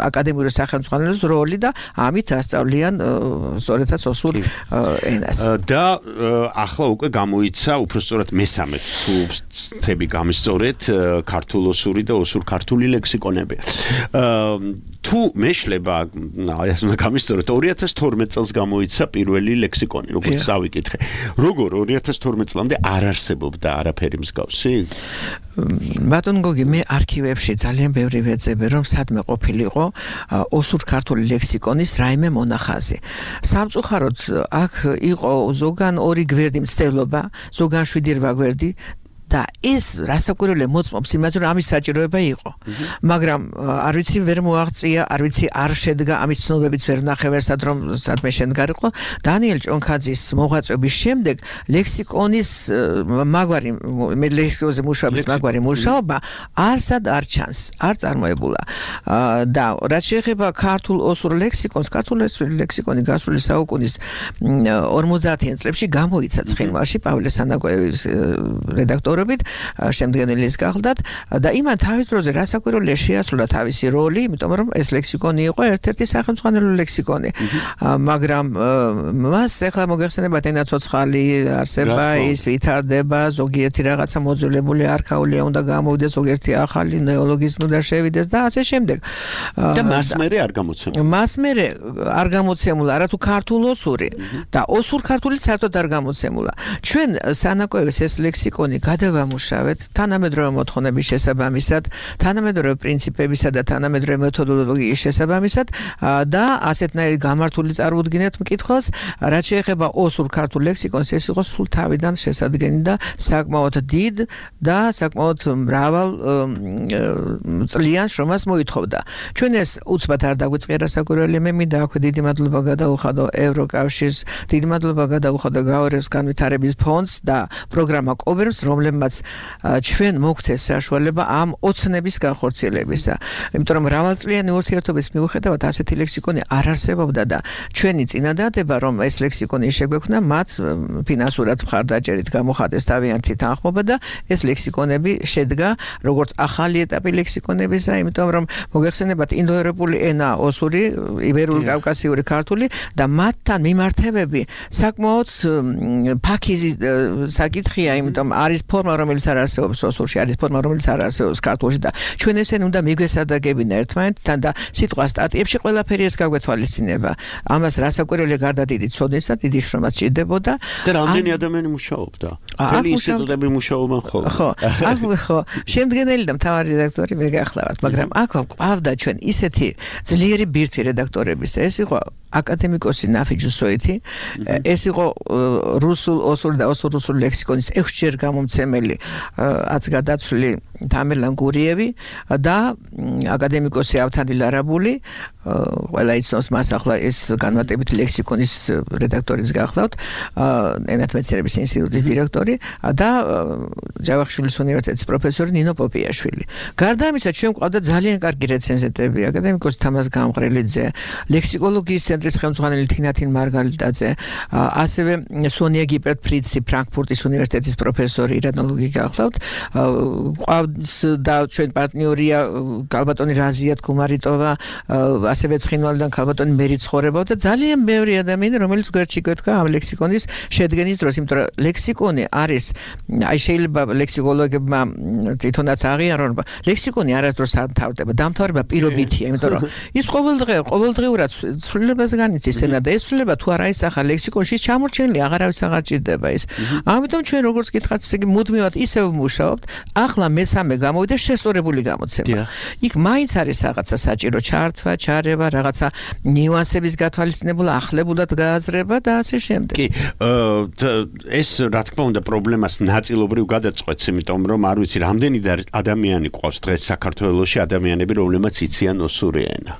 აკადემიური სახელმძღვანელოს როლი და ამით ასწავლიან სწორედაც ოსურ ენას. და ახლა უკვე გამოიცა უბრალოდ მესამე თები გამისწორეთ ქართულ-ოსური და ოსურ-ქართული ლექსიკონები. თუ მეშლება ეს უნდა გამისწოროთ 2012 წელს გამოიცა პირველი ლექსიკონი, როგორც წავიკითხე. როგორ 2012 წლამდე არ არსებობდა არაფერი მსგავსი? ბატონ გოგი, მე არქივებში ძალიან ბევრი ვეძებე, რომ სადმე ყოფილიყო ოსურ-ქართული ლექსიკონის რაიმე მონახაზი. სამწუხაროდ აქ იყო ზოგან 2 გვერდი მცდელობა, ზოგან 7-8 გვერდი და ეს რასაკვირველია მოწმობს იმაზე, რომ ამის საჭიროება იყო. მაგრამ არ ვიცი ვერ მოაღწია, არ ვიცი არ შედგა ამის ცნობებიც ვერ ნახე ვერსად რომ სადმე შემდგარიყო. დანიელ ჭონქაძის მოღვაწეობის შემდეგ ლექსიკონის მაგვარი მე ლექსიკონზე მუშაობის მაგვარი მუშაობა არსად არ ჩანს, არ წარმოებულა. და რაც შეეხება ქართულ-ოსურ ლექსიკონს, ქართულ-ოსური ლექსიკონი გასული საუკუნის 50-იან წლებში გამოიცა ცხინვალში პავლე სანაკოევის რედაქტორ შემდგენელის გახლდათ და იმან თავის დროზე რასაკვირველია შეასრულა თავისი როლი, იმიტომ რომ ეს ლექსიკონი იყო ერთ-ერთი სახელმძღვანელო ლექსიკონი. მაგრამ მას ახლა მოგეხსენებათ ენა ცოცხალი არსება, ის ვითარდება, ზოგიერთი რაღაცა მოძველებული არქაულია უნდა გამოვიდეს, ზოგიერთი ახალი ნეოლოგიზმი უნდა შევიდეს და ასე შემდეგ. და მას მერე არ გამოცემულა. მას მერე არ გამოცემულა, არათუ ქართულ-ოსური და ოსურ-ქართული საერთოდ არ გამოცემულა. ჩვენ სანაკოევის ეს ლექსიკონი გადავამუშავეთ თანამედროვე მოთხოვნების შესაბამისად, თანამედროვე პრინციპებისა და თანამედროვე მეთოდოლოგიის შესაბამისად და ასეთნაირი გამართული წარმოუდგინეთ მკითხველს, რაც შეეხება ოსურ-ქართულ ლექსიკონს, ეს იყო სულ თავიდან შესადგენი და საკმაოდ დიდ და საკმაოდ მრავალ წლიან შრომას მოითხოვდა. ჩვენ ეს უცბად არ დაგვიწყია რასაკვირველია, მე მინდა აქვე დიდი მადლობა გადაუხადო ევროკავშირს, დიდი მადლობა გადაუხადო გაორევს განვითარების ფონდს და პროგრამა კობერს, რომლებმაც რომლებმაც ჩვენ მოგცეს საშუალება ამ ოცნების განხორციელებისა. იმიტომ რომ მრავალწლიანი ურთიერთობის მიუხედავად ასეთი ლექსიკონი არ არსებობდა და ჩვენი წინადადება რომ ეს ლექსიკონი შეგვექმნა მათ ფინანსურად მხარდაჭერით გამოხატეს თავიანთი თანხმობა და ეს ლექსიკონები შედგა როგორც ახალი ეტაპი ლექსიკონებისა, იმიტომ რომ მოგეხსენებათ ინდოევროპული ენა ოსური, იბერული კავკასიური ქართული და მათთან მიმართებები საკმაოდ ფაქიზი საკითხია, იმიტომ არის ფორმა რომელიც არ არსებობს ოსურში, არის ფორმა რომელიც არ არსებობს ქართულში და ჩვენ ესენი უნდა მიგვესადაგებინა ერთმანეთთან და სიტყვა სტატიებში ყველაფერი ეს გაგვეთვალისწინება. ამას რასაკვირველია გარდა დიდი ცოდნისა, დიდი შრომაც ჭირდებოდა. და რამდენი ადამიანი მუშაობდა? მთელი ინსტიტუტები მუშაობენ ხოლმე. ხო, შემდგენელი და მთავარი რედაქტორი მე გახლავართ, მაგრამ აქ ყავდა ჩვენ ისეთი ძლიერი ბირთვი რედაქტორების. ეს იყო აკადემიკოსი ნაფიჯ უსოითი, ეს იყო რუსულ, ოსური და ოსურ-რუსული ლექსიკონის 6-ჯერ გამომცემელი აცგარდაცვლილი თამერლან გურიევი და აკადემიკოსი ავთანდილ არაბული, ყველა იცნობს მას ახლა ეს განმარტებით ლექსიკონის რედაქტორიც გახლავთ, ენათა მეცნიერების ინსტიტუტის დირექტორი და ჯავახიშვილის უნივერსიტეტის პროფესორი ნინო პოპიაშვილი. გარდა ამისა, ჩვენ ყავდა ძალიან კარგი რეცენზენტები, აკადემიკოსი თამაზ გამყრელიძე, ლექსიკოლოგიის ცენტრის ხელმძღვანელი თინათინ მარგალიტაძე, ასევე სონია გიპერტ-ფრიცი, ფრანკფურტის უნივერსიტეტის პროფესორი ირანოლოგი გახლავთ, ყავს და ჩვენ პარტნიორია ქალბატონი რაზია თქუმარიტოვა, ასევე ცხინვალიდან ქალბატონი მერი ცხოვრება და ძალიან ბევრი ადამიანი, რომელიც გვერდში გვეთქვა ამ ლექსიკონის შედგენის დროს, იმიტომ რომ ლექსიკონი არის, აი შეიძლება ლექსიკოლოგებმა თვითონაც აღიარონ, რომ ლექსიკონი არასდროს არ მთავრდება, დამთავრება პირობითია, იმიტომ რომ ის ყოველდღიურად ცვლილებას განიცდის ენა და ეს ცვლილება თუ არ აისახა ლექსიკონში ჩამორჩენილი აღარავის აღარ ჭირდება ის. ამიტომ ჩვენ როგორც გითხრათ, ისე მუდმივად ისევ მუშაობთ, ახლა მესამე გამოვიდა შესწორებული გამოცემა. იქ მაინც არის რაღაცა საჭირო ჩართვა, ჩარევა, რაღაცა ნიუანსების გათვალისწინებულა, ახლებულად გააზრება და ასე შემდეგ. კი, ეს რა თქმა უნდა პრობლემას ნაწილობრივ გადაწყვეტს, იმიტომ რომ არ ვიცი რამდენი ადამიანი ყავს დღეს საქართველოში ადამიანები, რომლებმაც იციან ოსური ენა.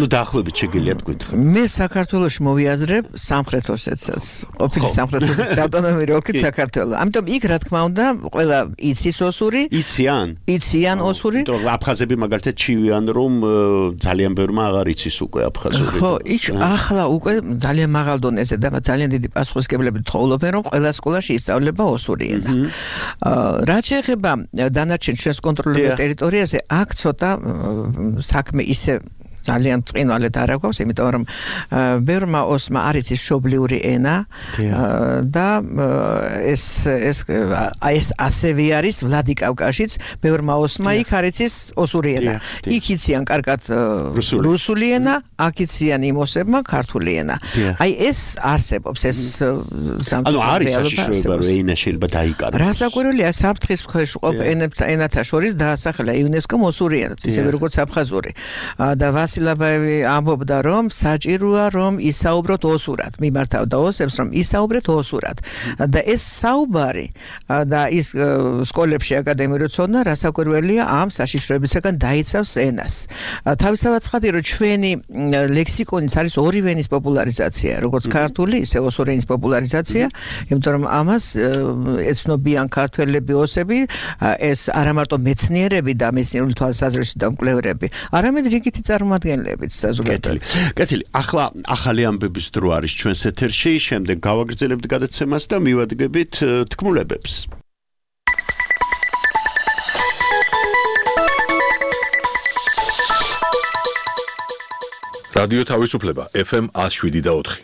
ნუ დაახლოებით შეგიძლიათ გითხრათ. მე საქართველოში მოვიაზრებ სამხრეთ ოსეთსაც, ყოფილი სამხრეთ ოსეთის ავტონომიური ოლქით საქართველო. ამიტომ იქ რა თქმა უნდა ყველა იცის ოსური. იციან ოსური. იმიტომ აფხაზები მაგალითად ჩივიან რომ ძალიან ბევრმა აღარ იცის უკვე აფხაზური. ხო, იქ ახლა უკვე ძალიან მაღალ დონეზე და ძალიან დიდი პასუხისმგებლობით თხოვლობენ რომ ყველა სკოლაში ისწავლება ოსური ენა. რაც შეეხება დანარჩენ ჩვენს კონტროლებულ ტერიტორიაზე, აქ ცოტა საქმე ისე ძალიან წინვალედ არ აქვს, იმიტომ რომ ბევრმა ოსმა არ იცის მშობლიური ენა და ეს ასევე არის ვლადიკავკაშიც ბევრმა osma იქ არ იცის ოსური ენა. იქ იციან კარგად რუსული ენა, აქ იციან იმ ოსებმა ქართული ენა. აი ეს არსებობს, ეს ანუ არის საშიშროება რომ ენა შეიძლება დაიკარგოს. რასაკვირველია, საფრთხის ქვეშ ყოფ ენათა შორის დაასახელა იუნესკომ ოსური ენა, ისევე როგორც აფხაზური. და ვასილაბაევი ამბობდა რომ საჭიროა რომ ისაუბროთ ოსურად, მიმართავდა ოსებს რომ ისაუბრეთ ოსურად. და ეს საუბარი და ის სკოლებში აკადემიური ცოდნა რასაკვირველია ამ საშიშროებისგან დაიცავს ენას. თავისთავად ცხადია რომ ჩვენი ლექსიკონიც არის ორივე ენის პოპულარიზაცია, როგორც ქართული, ისე ოსური ენის პოპულარიზაცია, იმიტომ რომ ამას ეცნობიან ქართველები, ოსები, ეს არა მარტო მეცნიერები და მეცნიერული თვალსაზრისით და მკვლევრები, არამედ რიგითი წარმომადგენლებიც საზოგადოებრივი. კეთილი, ახლა ახალი ამბების დრო არის ჩვენს ეთერში, შემდეგ გავაგრძელებთ გადაცემას და მივადგებით თქმულებებს. რადიო თავისუფლება FM 107.4.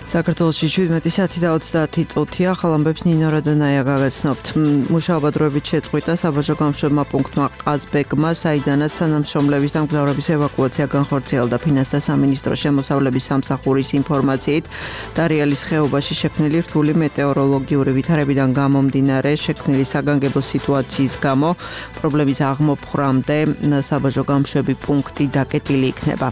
საქართველოში 17 საათი და 30 წუთია, ახალ ამბებს ნინო რადონაია გაგაცნობთ. მუშაობა დროებით შეწყვიტა საბაჟო გამშვებმა პუნქტმა ყაზბეგმა, საიდანაც თანამშრომლების და მგზავრების ევაკუაცია განხორციელდა. ფინანსთა სამინისტროს შემოსავლების სამსახურის ინფორმაციით, დარიალის ხეობაში შექმნილი რთული მეტეოროლოგიური ვითარებიდან გამომდინარე, შექმნილი საგანგებო სიტუაციის გამო პრობლემის აღმოფხვრამდე საბაჟო გამშვები პუნქტი დაკეტილი იქნება.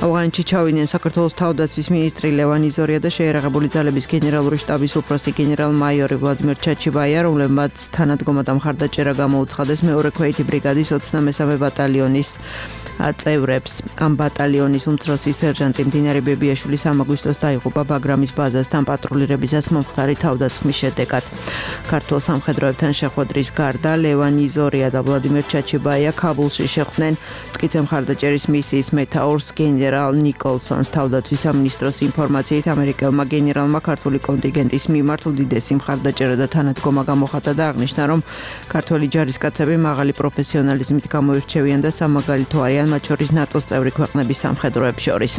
ავღანეთში ჩავიდნენ საქართველოს თავდაცვის მინისტრი ლევან იზორია და შეერაღებული ძალების გენერალური შტაბის უფროსი გენერალ-მაიორი ვლადიმერ ჩაჩიბაია, რომლებმაც თანადგომა და მხარდაჭერა გამოუცხადეს მეორე ქვეითი ბრიგადის 23-მე ბატალიონის წევრებს. ამ ბატალიონის უმცროსი სერჟანტი მდინარე ბებიაშვილის აგვისტოს დაიღუპა ბაგრამის ბაზასთან პატრულირებისას მომხდარი თავდასხმის შედეგად. ქართულ სამხედროებთან შეხვედრის გარდა ლევან იზორია და ვლადიმერ ჩაჩებაია ქაბულში შეხვდნენ მტკიცე მხარდაჭერის მისიის მეთაურს გენერალ ნიკოლსონს. თავდაცვის სამინისტროს ინფორმაციით ამერიკელმა გენერალმა ქართული კონტინგენტის მიმართ უდიდესი მხარდაჭერა და თანადგომა გამოხატა და აღნიშნა, რომ ქართველი ჯარისკაცები მაღალი პროფესიონალიზმით გამოირჩევიან და სამაგალითო არიან მათ შორის ნატოს წევრი ქვეყნების სამხედროებს შორის.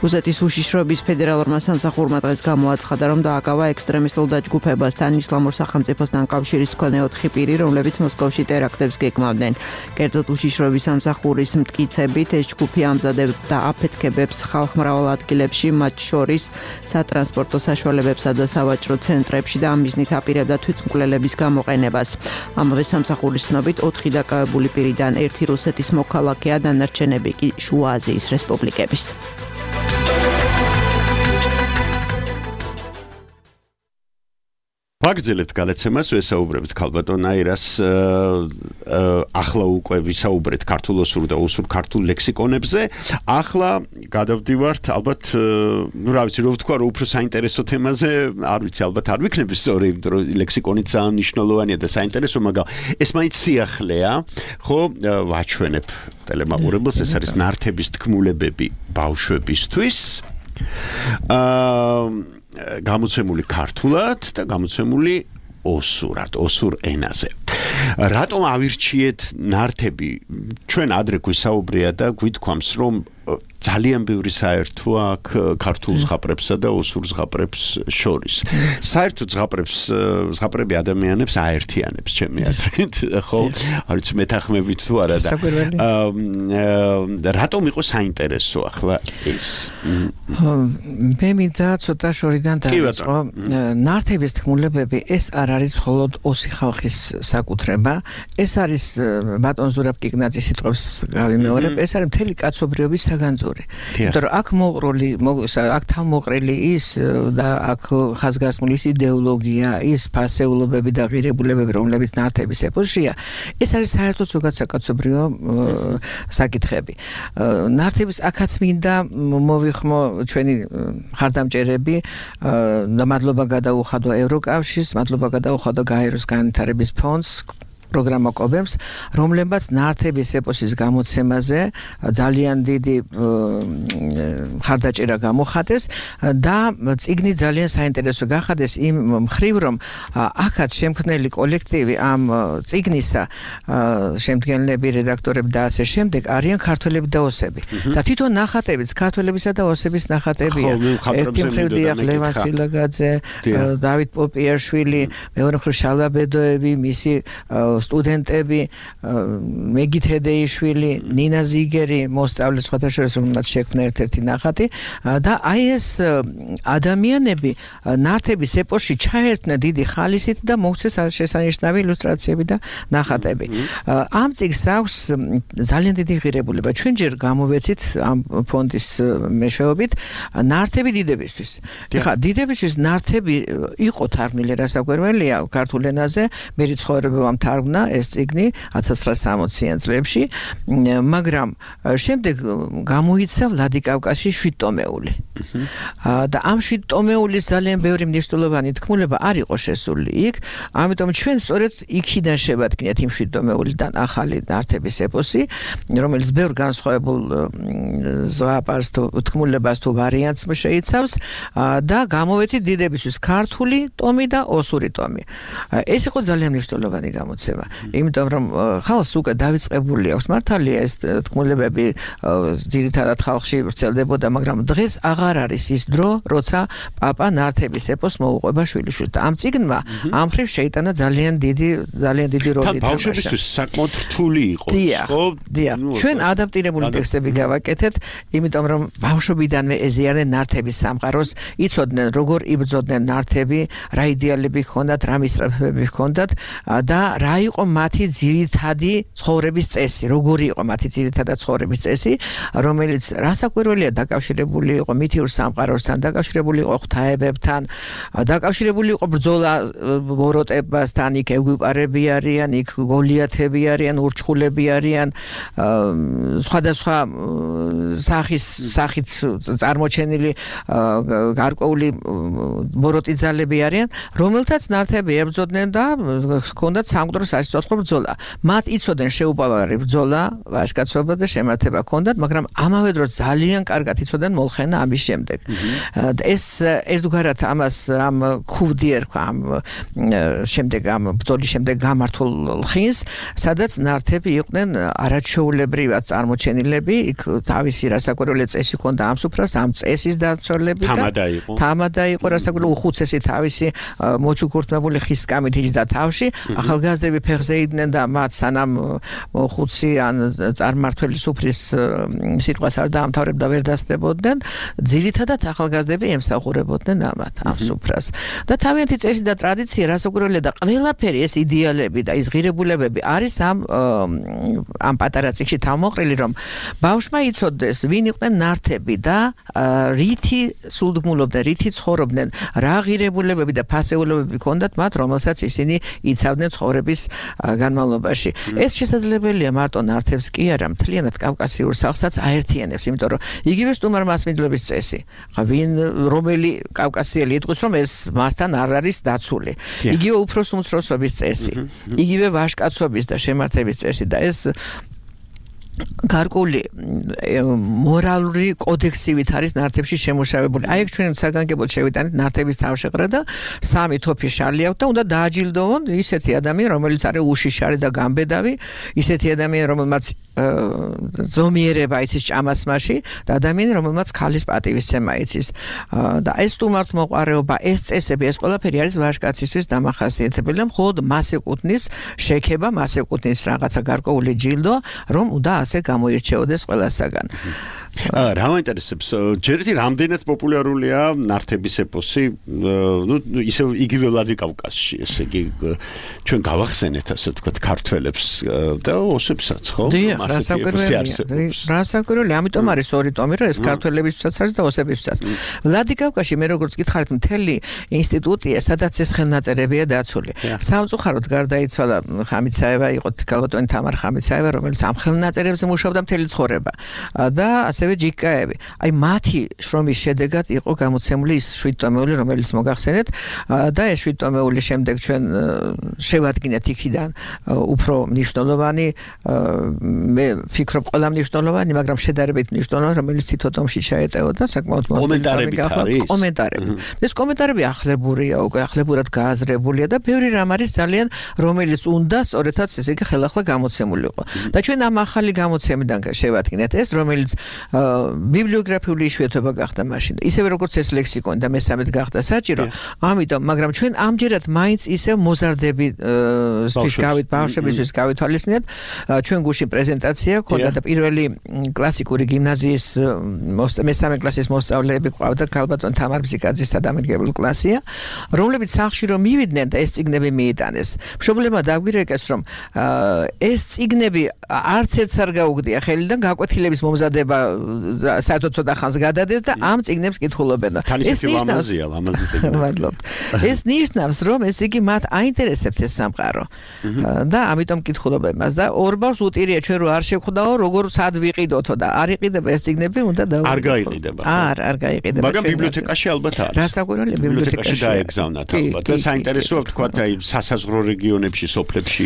რუსეთის უშიშროების ფედერალურმა სამსახურმა დღეს გამოაცხადა, რომ დააკავა ექსტრემისტულ დაჯგუფებასთან ისლამურ სახელმწიფოსთან კავშირის მქონე 4 პირი, რომლებიც მოსკოვში ტერაქტებს გეგმავდნენ. კერძოდ უშიშროების სამსახურის მტკიცებით ეს ჯგუფი ამზადებდა აფეთქებებს ხალხმრავალ ადგილებში, მათ შორის სატრანსპორტო საშუალებებსა და სავაჭრო ცენტრებში და ამ მიზნით აპირებდა თვითმკვლელების გამოყენებას. ამავე სამსახურის ცნობით 4 დაკავებული პირიდან 1 რუსეთის მოქალაქეა, დანარჩენები კი შუა აზიის რესპუბლიკების. ვაგრძელებთ გადაცემას, ვესაუბრებთ ქალბატონ აირას ახლა უკვე ვისაუბრეთ ქართულ-ოსურ და ოსურ ქართულ ლექსიკონებზე. ახლა გადავდივართ ალბათ, რა ვიცი, რო ვთქვა, რომ უფრო საინტერესო თემაზე, არ ვიცი, ალბათ არ ვიქნები სწორი, იმიტომ რომ ლექსიკონიც ძალიან მნიშვნელოვანია და საინტერესო, მაგრამ ეს მაინც სიახლეა, ხო, ვაჩვენებ ტელემაყურებელს, ეს არის ნართების თქმულებები ბავშვებისთვის. გამოცემული ქართულად და გამოცემული ოსურად, ოსურ ენაზე. რატომ ავირჩიეთ ნართები? ჩვენ ადრე გვისაუბრია და გვითქვამს, რომ ძალიან ბევრი საერთოა აქ ქართულ ზღაპრებსა და ოსურ ზღაპრებს შორის. საერთო ზღაპრები ადამიანებს აერთიანებს, ჩემი აზრით, ხო? არ ვიცი, მეთანხმებით თუ არა და რატომ იყო საინტერესო ახლა ეს? მე მინდა ცოტა შორიდან დავიწყო. ნართების თქმულებები ეს არ არის მხოლოდ ოსი ხალხის საკუთრება, ეს არის ბატონ ზურაბ კიკნაძის სიტყვებს გავიმეორებ, ეს არის მთელი კაცობრიობის საგანძური. იმიტომ რომ აქ აქ თავმოყრილი ის და აქ ხაზგასმული ის იდეოლოგია, ის ფასეულობები და ღირებულებები, რომლებიც ნართების ეპოშია, ეს არის საერთოდ ზოგადსაკაცობრიო საკითხები. ნართების აქაც მინდა მოვიხმო ჩვენი ხარდამჭერები და მადლობა გადაუხადო ევროკავშირს, მადლობა გადაუხადო გაეროს განვითარების ფონდს, პროგრამა კობერს, რომლებაც ნართების ეპოსის გამოცემაზე ძალიან დიდი ხარდაჭერა გამოხატეს და წიგნი ძალიან საინტერესო გახადეს იმ მხრივ, რომ აქაც შემქმნელი კოლექტივი ამ წიგნისა შემდგენლები, რედაქტორები და ასე შემდეგ არიან ქართველები და ოსები. და თვითონ ნახატებიც ქართველებისა და ოსების ნახატებია. ერთი მხრივ დიახ ლევან სილაგაძე, დავით პოპიაშვილი, მეორე მხრივ შალაბედოები, მისი სტუდენტები, მეგით ჰედეიშვილი, ნინა ზიგერი, მოსწავლე სხვათა შორის, რომელსაც შექმნა ერთ-ერთი ნახატი და აი ეს ადამიანები ნართების ეპოში ჩაერთნენ დიდი ხალისით და მოგვცეს შესანიშნავი ილუსტრაციები და ნახატები. ამ წიგნს აქვს ძალიან დიდი ღირებულება. ჩვენ ჯერ გამოვეცით ამ ფონდის მეშვეობით ნართები დიდებისთვის. ეხლა დიდებისთვის ნართები იყო თარგმნილი, რასაკვირველია, ქართულ ენაზე, მე რიცხოვებამ თარგმნა ეს წიგნი 1960-იან წლებში, მაგრამ შემდეგ გამოიცა ვლადიკავკაზში 7 ტომეული. და ამ 7 ტომეულის ძალიან ბევრი მნიშვნელოვანი თქმულება არ იყო შესული იქ, ამიტომ ჩვენ სწორედ იქიდან შევადგინეთ იმ 7 ტომეულიდან ახალი ნართების ეპოსი, რომელიც ბევრ განსხვავებულ ზღაპარს თუ თქმულებას თუ ვარიანტს შეიცავს და გამოვეცით დიდებისთვის ქართული ტომი და ოსური ტომი. ეს იყო ძალიან მნიშვნელოვანი გამოცემა. იმიტომ რომ ხალხს უკვე დავიწყებული აქვს მართალია ეს თქმულებები ძირითადად ხალხში ვრცელდებოდა, მაგრამ დღეს აღარ არის ის დრო, როცა პაპა ნართების ეპოს მოუყვება შვილიშვილს. ამ წიგნმა ამ მხრივ შეიტანა ძალიან დიდი როლი. თან ბავშვებისთვის საკმაოდ რთული იყო, ხო? დიახ. ჩვენ ადაპტირებული ტექსტები გავაკეთეთ, იმიტომ რომ ბავშვობიდანვე ეზიარდნენ ნართების სამყაროს, იცოდნენ როგორ იბრძოდნენ ნართები, რა იდეალები ჰქონდათ, რა მისწრაფებები ჰქონდათ და რა იყო მათი ძირითადი ცხოვრების წესი, როგორი იყო მათი ძირითადი ცხოვრების წესი, რომელიც რასაკვირველია დაკავშირებული იყო მითიურ სამყაროსთან, დაკავშირებული იყო ღვთაებებთან, დაკავშირებული იყო ბრძოლა ბოროტებასთან, იქ ეგვიპარები არიან, იქ გოლიათები არიან, ურჩხულები არიან, სხვადასხვა სახით წარმოჩენილი გარკვეული ბოროტი ძალები არიან, რომელთაც ნართები ებრძოდნენ და ჰქონდათ სამკვდრო საშიშროთლო ბრძოლა. მათ იცოდნენ შეუპოვარი ბრძოლა, ვაჟკაცობა და შემართება ჰქონდათ, მაგრამ ამავე დროს ძალიან კარგად იცოდნენ molxena ამის შემდეგ. ეს ერთგვარად ამას ამ ქუდი ერქვა ამ შემდეგ ამ ბრძოლის შემდეგ გამართულ ხინს, სადაც ნართები იყვნენ არაჩვეულებრივად წარმოჩენილები, იქ თავისი რასაკვირველი წესი ჰქონდა ამ სუფრას, ამ წესის დაცვალები და თამადა იყო რასაკვირველი უხუცესი თავისი მოჩუქურთმებული ხის სკამით იჯდა თავში, ახალგაზრდები ფეხზე იდნენ და მათ სანამ ხუცი ან წარმართველი სუფრის სიტყვას არ დაამთავრებდა ვერ დასწრებოდნენ, ძირითადად ახალგაზრდები ემსახურებოდნენ ამ სუფრას. და თავიანთი წესი და ტრადიცია რასაკვირველია და ყველაფერი ეს იდეალები და ის ღირებულებები არის ამ პატარა წიგნში თავმოყრილი, რომ ბავშვმა იცოდეს ვინ იყვნენ ნართები და რითი სულდმულობდნენ, რითი ცხოვრობდნენ, რა ღირებულებები და ფასეულობები ჰქონდათ მათ, რომელსაც ისინი იცავდნენ ცხოვრების განმავლობაში. ეს შესაძლებელია მარტო ნართებს კი არა, მთლიანად კავკასიურ სახლსაც აერთიანებს, იმიტომ რომ იგივე სტუმარ-მასპინძლობის წესი. ვინ რომელი კავკასიელი იტყვის, რომ ეს მასთან არ არის დაცული. იგივე უფროს-უმცროსობის წესი, იგივე ვაჟკაცობის და შემართების წესი და ეს გარკვეული მორალური კოდექსივით არის ნართებში შემუშავებული. აი, ჩვენ საგანგებოდ შევიტანით ნართების თავშეყრა და 3 თოფი შალი აქვს და უნდა დააჯილდოვონ ისეთი ადამიანი, რომელიც არის უშიშარი და გამბედავი, ისეთი ადამიანი, რომელმაც ზომიერება იცის ჭამასმაში და ადამიანი, რომელმაც ქალის პატივისცემა იცის. და ეს სტუმართმოყვარეობა, ეს წესები, ეს ყველაფერი არის ვაჟკაცისთვის დამახასიათებელი და მხოლოდ მას ეკუთვნის შექება, მას ეკუთვნის რაღაცა გარკვეული ჯილდო, რომ უნდა ასე გამოირჩეოდეს ყველასაგან. რა მაინტერესებს, ჯერეთი რამდენად პოპულარულია ნართების ეპოსი, ისე იგივე ვლადიკავკაზში, ესე იგი ჩვენ გავახსენეთ ასე ვთქვათ ქართველებს და ოსებსაც, ხო? რასაკვირველია, ამიტომ არის 2 ტომი, რომ ეს ქართველებისაც არის და ოსებისაც. ვლადიკავკაზში მე როგორც გითხარით, მთელი ინსტიტუტია, სადაც ეს ხელნაწერებია დაცული. სამწუხაროდ გარდაიცვალა ხამიცაევა, იყო ქალბატონი თამარ ხამიცაევა, რომელიც ამ ხელნაწერებზე მუშაობდა მთელი ცხოვრება. და ასევე ჯიკაევი. აი მათი შრომის შედეგად იყო გამოცემული ის 7 ტომეული, რომელიც მოგახსენეთ და ეს 7 ტომეული შემდეგ ჩვენ შევადგინეთ იქიდან უფრო მნიშვნელოვანი, მე ვფიქრობ ყველა მნიშვნელოვანი, მაგრამ შედარებით მნიშვნელოვანი, რომელიც თითო ტომში ჩაეტეოდა საკმაოდ კომენტარები არის. კომენტარები. ეს კომენტარები ახლებურია, უკვე ახლებურად გააზრებულია და ბევრი რამ არის ძალიან, რომელიც უნდა სწორედაც ესე იგი ხელახლა გამოცემული იყო. და ჩვენ ამ ახალი გამოცემიდან შევადგინეთ ეს, რომელიც ბიბლიოგრაფიული იშვიათობა გახდა მაშინ. ისევე როგორც ეს ლექსიკონი და მესამედ გახდა საჭირო, ამიტომ, მაგრამ ჩვენ ამჯერად მაინც ისევ მოზარდების ბავშვებისთვის გავითვალისწინეთ. ჩვენ გუშინ პრეზენტაცია ქონდა და პირველი კლასიკური გიმნაზიის მესამე კლასის მოსწავლეები ყავდა ქალბატონ თამარ ბზიკაძის სადამრიგებლო კლასია, რომლებიც სახლში რომ მივიდნენ და ეს წიგნები მიიტანეს. მშობლებმა დაგვირეკეს, რომ ეს წიგნები არც ერთს არ გაუგდია ხელიდან, გაკვეთილების მომზადება საერთოდ ცოტა ხანს გადადეს და ამ წიგნებს კითხულობენ. ეს ნიშნავს, ეს ნიშნავს, რომ ეს იგი მათ აინტერესებთ ეს სამყარო. და ამიტომ კითხულობენ მას და ორ ბავშვს უტირია ჩვენ რო არ შევხვდაო, როგორ სად ვიყიდოთო და არ იყიდება ეს წიგნები, უნდა არ გაიყიდება. არ გაიყიდება. მაგრამ ბიბლიოთეკაში ალბათ არის. რასაკვირველია ბიბლიოთეკაში დაეგზავნათ ალბათ. და საინტერესოა თქვა აი სასაზღვრო რეგიონებში, სოფლებში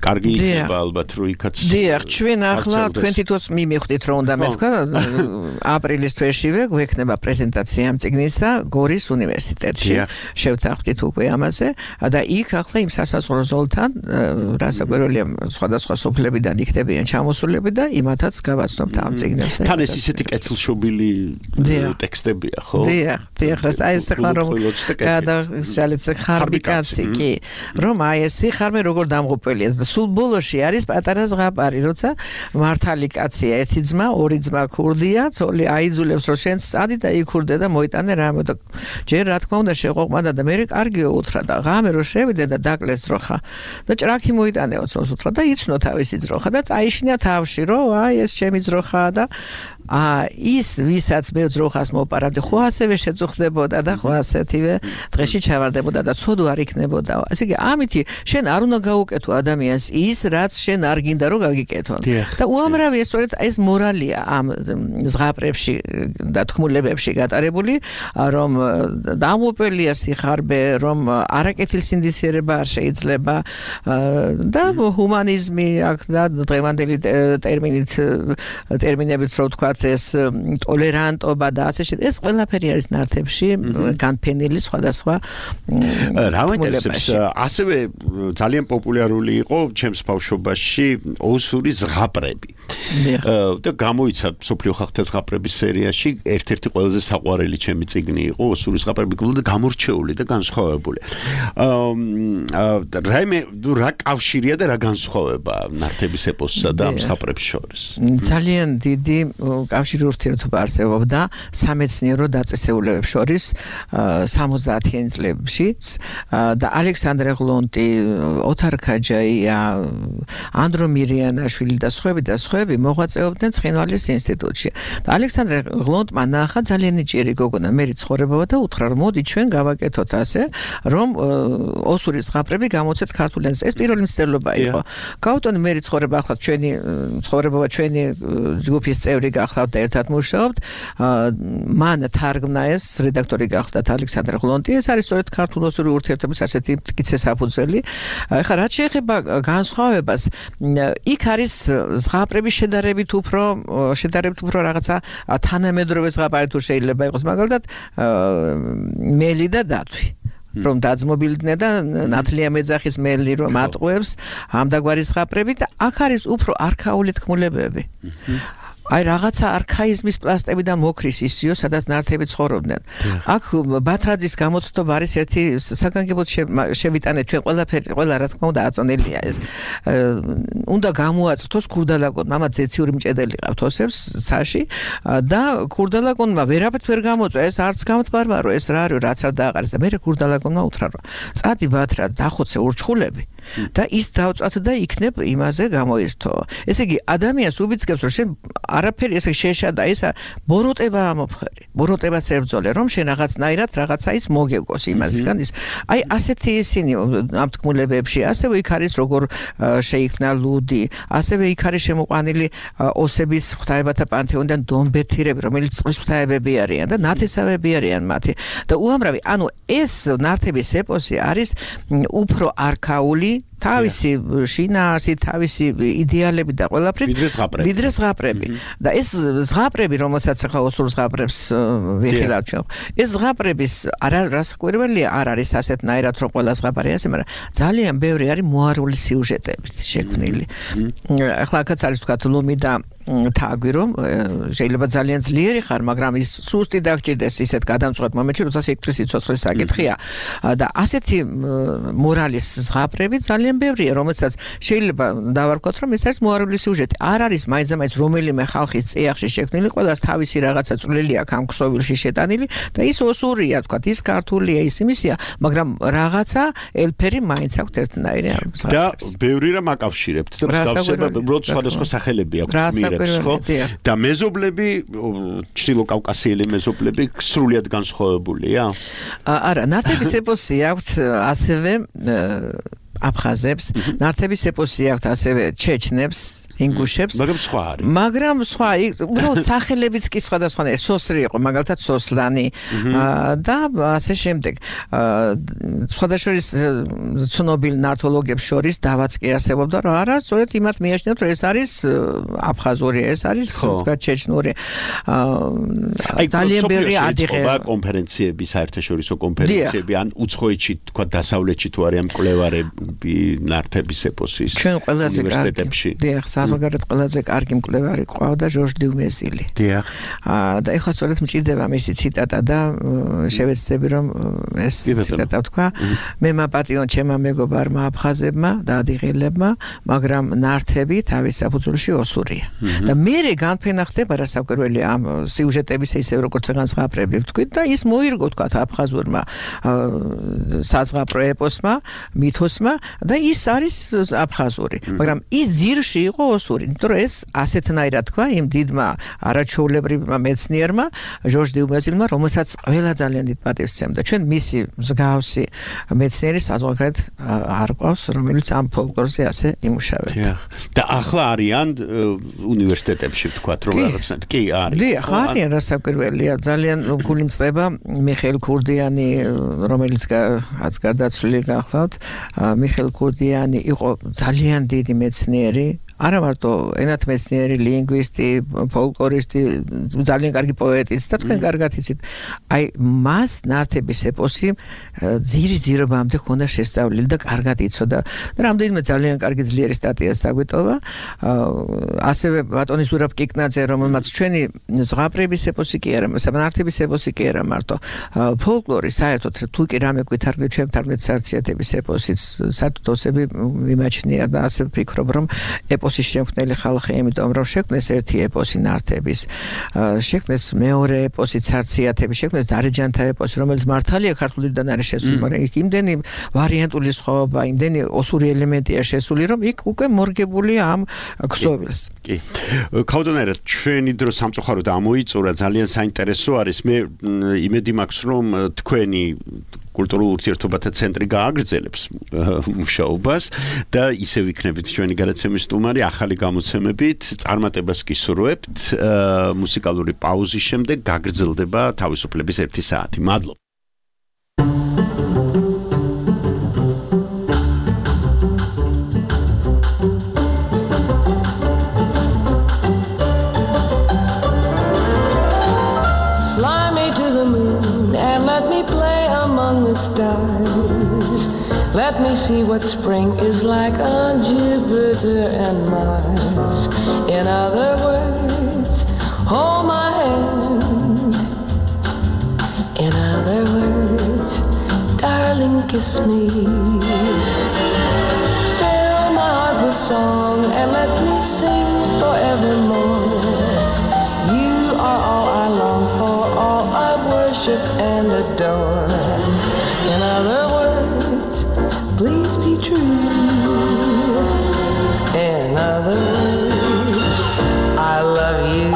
კარგი იქნება ალბათ რო იქაც. დიახ, ჩვენ ახლა თქვენ თვითონ მივხვდით რომ უნდა მეთქვა აპრილის თვეშივე გვექნება პრეზენტაცია ამ წიგნისა გორის უნივერსიტეტში. შევთანხმდით უკვე ამაზე და იქ ახლა იმ სასაზღვრო ზოლთან რასაკვირველია სხვადასხვა სოფლებიდან იქნებიან ჩამოსულები და იმათაც გავაცნობთ ამ წიგნებს. თან ეს ისეთი კეთილშობილი ტექსტებია, ხო? დიახ, აი ეს ახლა რომ გადაგშალეთ ხარბი კაცი, კი, რომ აი ეს სიხარმე როგორ დამღუპველია და სულ ბოლოში არის პატარა ზღაპარი, როცა მართალი კაცია, ერთი ძმა, ორი ძმა მა ქურდია, ცოლი აიძულებს რომ შენ წადი და იქურდე და მოიტანე რამე და ჯერ რა თქმა უნდა შეყოყმადა და მე კარგიო უთხრა და ღამე რომ შევიდე და დაკლეს ძროხა და ჭრაქი მოიტანეო ცოლს უთხრა და იცნო თავისი ძროხა და წაიშინა თავში რომ აი ეს ჩემი ძროხაა და ის ვისაც მე ძროხას მოპარავდი ხო ასევე შეწუხდებოდა და ხო ასეთივე დღეში ჩავარდებოდა და ცოდო არ იქნებოდა ასე იგი ამითი შენ არ უნდა გაუკეთო ადამიანს ის რაც შენ არ გინდა რომ გაგიკეთონ და უამრავი სწორედ ეს მორალია ამ ზღაპრებში და თქმულებებში გატარებული რომ დამოპელია სიხარბე რომ არაკეთილსინდისიერება არ შეიძლება და ჰუმანიზმი აქ და დღევანდელი ტერმინებით რო ვთქვა ეს ტოლერანტობა და ასე ეს ყველაფერი არის ნართებში განფენილი სხვადასხვა რაუნდებს ასევე ძალიან პოპულარული იყო ჩემს ბავშვობაში ოსური ზღაპრები და გამოიცა სოფლიო ხალხთა ზღაპრების სერიაში ერთ-ერთი ყველაზე საყვარელი ჩემი წიგნი იყო ოსური ზღაპრები და გამორჩეული და განსხვავებული რა კავშირია და რა განსხვავება ნართების ეპოსსა და ამ ზღაპრებს შორის ძალიან დიდი კავშირი ურთიერთობა არსებობდა სამეცნიერო დაწესებულებებს შორის 70-იან წლებში და ალექსანდრე ღლონტი, ოთარ ქაჯაია, ანდრო მირიანაშვილი და სხვები მოღვაწეობდნენ ცხინვალის ინსტიტუტში. და ალექსანდრე ღლონტმა ნახა ძალიან ნიჭიერი გოგონა მერი ცხოვრებავა და უთხრა რომ მოდი ჩვენ გავაკეთოთ ასე რომ ოსური ზღაპრები გამოცეთ ქართულ ენაზე. ეს პირველი მცდელობა იყო. გავუტონი მერი ცხოვრება ახლა ჩვენი ცხოვრებავა ჩვენი ჯგუფის წევრი გახლავთ და ერთად მუშაობთ. მან თარგმნა ეს რედაქტორი გახლდათ ალექსანდრე ღლონტი. ეს არის სწორედ ქართულ ოსური ურთიერთობის ასეთი მტკიცე საფუძველი. ეხლა რაც შეეხება განსხვავებას, იქ არის ზღაპრების შედარებით უფრო რაღაცა თანამედროვე ზღაპარი თუ შეიძლება იყოს, მაგალითად მელი და დათვი. რომ დაძმობილდნენ და ნათლია მეძახის მელი რომ ატყუებს ამდაგვარი ზღაპრები და აქ არის უფრო არქაული თქმულებები. აი რაღაცა არქაიზმის პლასტებიდან მოკრის ისიო, სადაც ნართები ცხოვრობდნენ. აქ ბათრაძის გამოცდობა არის ერთი საგანგებოდ შევიტანეთ ჩვენ ყველა რა თქმა უნდა აწონელია ეს. უნდა გამოაწრთოს ქურდალაკონმა, მამაც ზეციური მჭედელი ყავთ ოსებს ცაში და ქურდალაკონმა ვერაფერთ ვერ გამოწვა, ეს არც გამთბარბარო, ეს რა არის, რაც არ დააყარეს და მე ქურდალაკონმა უთხრა რომ წადი ბათრაც დახოცე ურჩხულები და ის დავწვათ და იქნებ იმაზე გამოირთო. ესე იგი ადამიანს უბიძგებს რომ შენ არაფერი ესე შეშა და ესა ბოროტება ამოფხერი. ბოროტებას ებრძოლე რომ შენ რაღაცნაირად რაღაცა ის მოგეგოს იმასგან ის. აი ასეთი ისინი ამ თქმულებებში ასევე იქ არის როგორ შეიქმნა ლუდი, ასევე იქ არის შემოყვანილი ოსების ღვთაებათა პანთეონიდან დონბერთირები, რომელიც წყლის ღვთაებები არიან და ნათესავები არიან მათი. და უამრავი, ანუ ეს ნართების ეპოსი არის უფრო არქაული თავისი შინაარსი, თავისი იდეალები და ყველაფრით ვიდრე ზღაპრები. და ეს ზღაპრები, რომელსაც ახლა ოსურ ზღაპრებს ვიხილავთ ჩვენ. ეს ზღაპრების არასაკვირველია, არ არის ასეთნაირად რომ ყველა ზღაპარი ასე, მაგრამ ძალიან ბევრი არის მოარული სიუჟეტებით შექმნილი. ახლა აქაც არის თქვა ლომი და თაგვი რომ შეიძლება ძალიან ძლიერი ხარ, მაგრამ ის სუსტი დაგჭირდეს ისეთ გადამწყვეტ მომენტში, როცა სიკვდილის სიცოცხლის საკითხია. და ასეთი მორალის ზღაპრები ძალიან ბევრია, რომელსაც შეიძლება დავარქვათ, რომ ეს არის მოარული სიუჟეტი. არ არის მაინც რომელიმე ხალხის წიაღში შექმნილი, ყველას თავისი რაღაცა წვლილი აქვს ამ ქსოვილში შეტანილი და ის ოსურია, თქვათ, ის ქართულია, ის იმისია, მაგრამ რაღაცა ელფერი მაინც აქვს ერთნაირი ამ ზღაპრებს. და ბევრი რამ აკავშირებთ და მსგავსება, უბრალოდ სხვადასხვა სახელები აქვს. და მეზობლები, ჩრდილო კავკასიელი მეზობლები სრულიად განსხვავებულია? არა, ნართების ეპოსი აქვს ასევე აფხაზებს, ნართების ეპოსი აქვს ასევე ჩეჩნებს, ინგუშებს. მაგრამ სხვა უბრალოდ სახელებიც კი სხვადასხვანაირია. სოსრი იყო, მაგალითად სოსლანი და ასე შემდეგ. სხვადასხვა ცნობილ ნართოლოგებს შორის დავაც კი არსებობდა, რომ არა, სწორედ იმათ მიაჩნიათ, რომ ეს არის აფხაზური, ეს არის თქვა ჩეჩნური. ძალიან ბევრი ადიღე კონფერენციები, საერთაშორისო კონფერენციები, ან უცხოეთში თქვა დასავლეთში თუ არიან მკვლევარები ნართების ეპოსის უნივერსიტეტებში. დიახ, მას მაგალითად ყველაზე კარგი მკვლევარი ყავდა ჟორჟ დიუმეზილი. დიახ. და ეხლა სწორედ მჭირდება მისი ციტატა და შევეცდები რომ ეს ციტატა ვთქვა. მე მაპატიონ ჩემმა მეგობარმა აფხაზებმა და ადიღელებმა, მაგრამ ნართები თავის საფუძველში ოსურია. და მერე განფენა ხდება რასაკვირველი ამ სიუჟეტების ისევ როგორც განსხვავებული ვთქვით და ის მოირგო თქვათ აფხაზურმა საზღაპრო ეპოსმა, მითოსმა და ის არის აფხაზური. მაგრამ ის ძირში იყო ოსური. იმიტომ რომ ეს ასეთნაირად თქვა იმ დიდმა არაჩვეულებრივმა მეცნიერმა ჟორჟ დიუმეზილმა, რომელსაც ყველა ძალიან დიდ პატივს სცემდა. ჩვენ მისი მსგავსი მეცნიერი საზოგადოებრივად არ ყავს, რომელიც ამ ფოლკლორზე ასე იმუშავებდა. და ახლა არიან უნივერსიტეტებში ვთქვათ რომ რაღაცნაირად კი არის. დიახ, არიან რასაკვირველია. ძალიან გული მწყდება მიხეილ ქურდიანი, რომელიც გარდაცვლილი გახლავთ. მიხეილ ქურდიანი იყო ძალიან დიდი მეცნიერი, არა მარტო ენათმეცნიერი, ლინგვისტი, ფოლკლორისტი, ძალიან კარგი პოეტიც და თქვენ კარგად იცით. აი მას ნართების ეპოსი ძირობამდე ჰქონდა შესწავლილი და კარგად იცოდა. და რამდენიმე ძალიან კარგი ძლიერი სტატიას დაგვიტოვა. ასევე ბატონი ზურაბ კიკნაძე, რომელმაც ჩვენი ზღაპრების ეპოსი კი არა, ნართების ეპოსი კი არა მარტო ფოლკლორი საერთოდ თუ კი რამე გვითარგმნით ჩვენ თარგმნით სარციათების ეპოსიც საერთოდ ოსები მიმაჩნია და ასე ვფიქრობ რომ ეპოსის შემქმნელი ხალხი, იმიტომ რომ შექმნეს ერთი ეპოსი ნართების, შექმნეს მეორე ეპოსი სარციათების, შექმნეს დარეჯანთა ეპოსი, რომელიც მართალია ქართულიდან არის შესული, მაგრამ იქ იმდენი ვარიანტული სხვაობა, იმდენი ოსური ელემენტია შესული, რომ იქ უკვე მორგებულია ამ ქსოვილს. კი. ქავდონერა, ჩვენი დრო სამწუხაროდ ამოიწურა, ძალიან საინტერესო არის. მე იმედი მაქვს, რომ თქვენი კულტურულ ურთიერთობათა ცენტრი გააგრძელებს მუშაობას და ისევ იქნებით ჩვენი გადაცემის სტუმარი ახალი გამოცემებით. წარმატებას გისურვებთ. მუსიკალური პაუზის შემდეგ გაგრძელდება თავისუფლების 1 საათი. მადლობა. Stars. Let me see what spring is like on Jupiter and Mars. In other words, hold my hand. In other words, darling, kiss me. Fill my heart with song and let me sing forevermore. You are all I long for, all I worship and adore. In other words, please be true. In other words, I love you.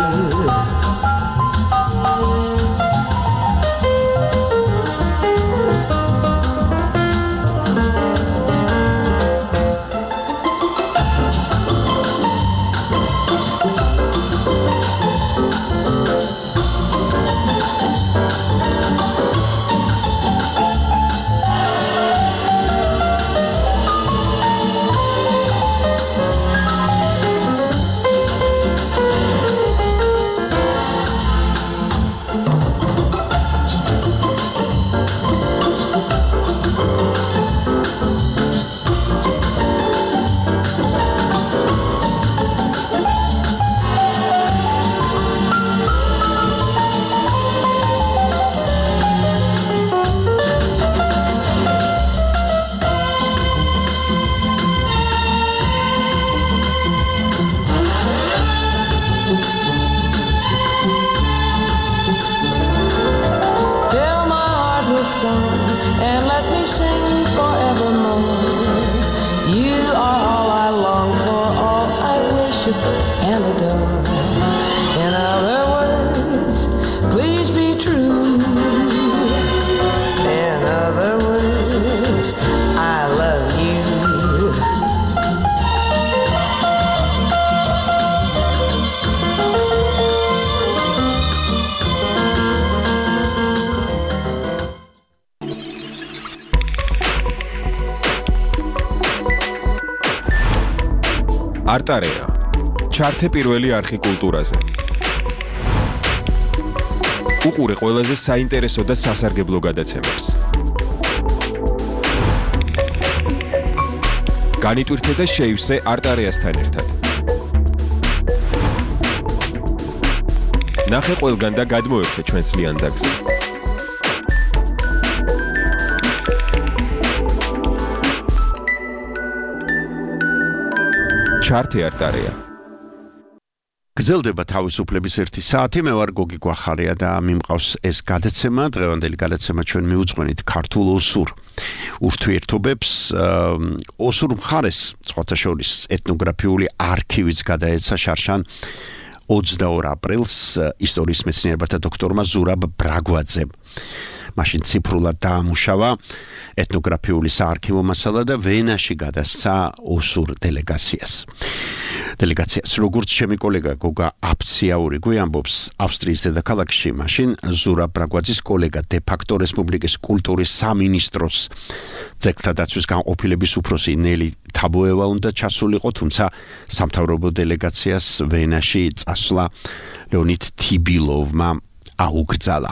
And let me sing forevermore. You are all I long for, all I worship and adore. In other words, please be true. In other words, I love you. არტარეა. ჩართე პირველი არხი კულტურაზე. უყურე ყველაზე საინტერესო და სასარგებლო გადაცემებს. განიტვირთე და შეივსე არტარეასთან ერთად. ნახე ყველგან და გადმოერთე ჩვენს ლიანდაგზე. ჩარტი არტარია. გრძელდება თავისუფლების 1 საათი, მე ვარ გოგი გვახარია და მიმყავს ეს გადაცემა, დღევანდელი გადაცემა ჩვენ მიუძღვენით ქართულ ოსურ ურთიერთობებს. ოსურ მხარეს სხვათა შორის ეთნოგრაფიული არქივიც გადაეცა შარშან 22 აპრილს ისტორიის მეცნიერებათა დოქტორმა ზურაბ ბრაგვაძემ. მაშინ ციფრულად დაამუშავა ეთნოგრაფიული საარქივო მასალა და ვენაში გადასცა ოსურ დელეგაციას. როგორც ჩემი კოლეგა გოგა აფციაურიგვი ამბობს, ავსტრიის დედაქალაქში მაშინ ზურაბ ბრაგვაძის კოლეგა დე-ფაქტო რესპუბლიკის კულტურის სამინისტროს ძეგლთა დაცვის განყოფილების უფროსი ნელი თაბოევა უნდა ჩასულიყო, თუმცა სამთავრობო დელეგაციას ვენაში წასვლა ლეონიდ თიბილოვმა აუგრძალა.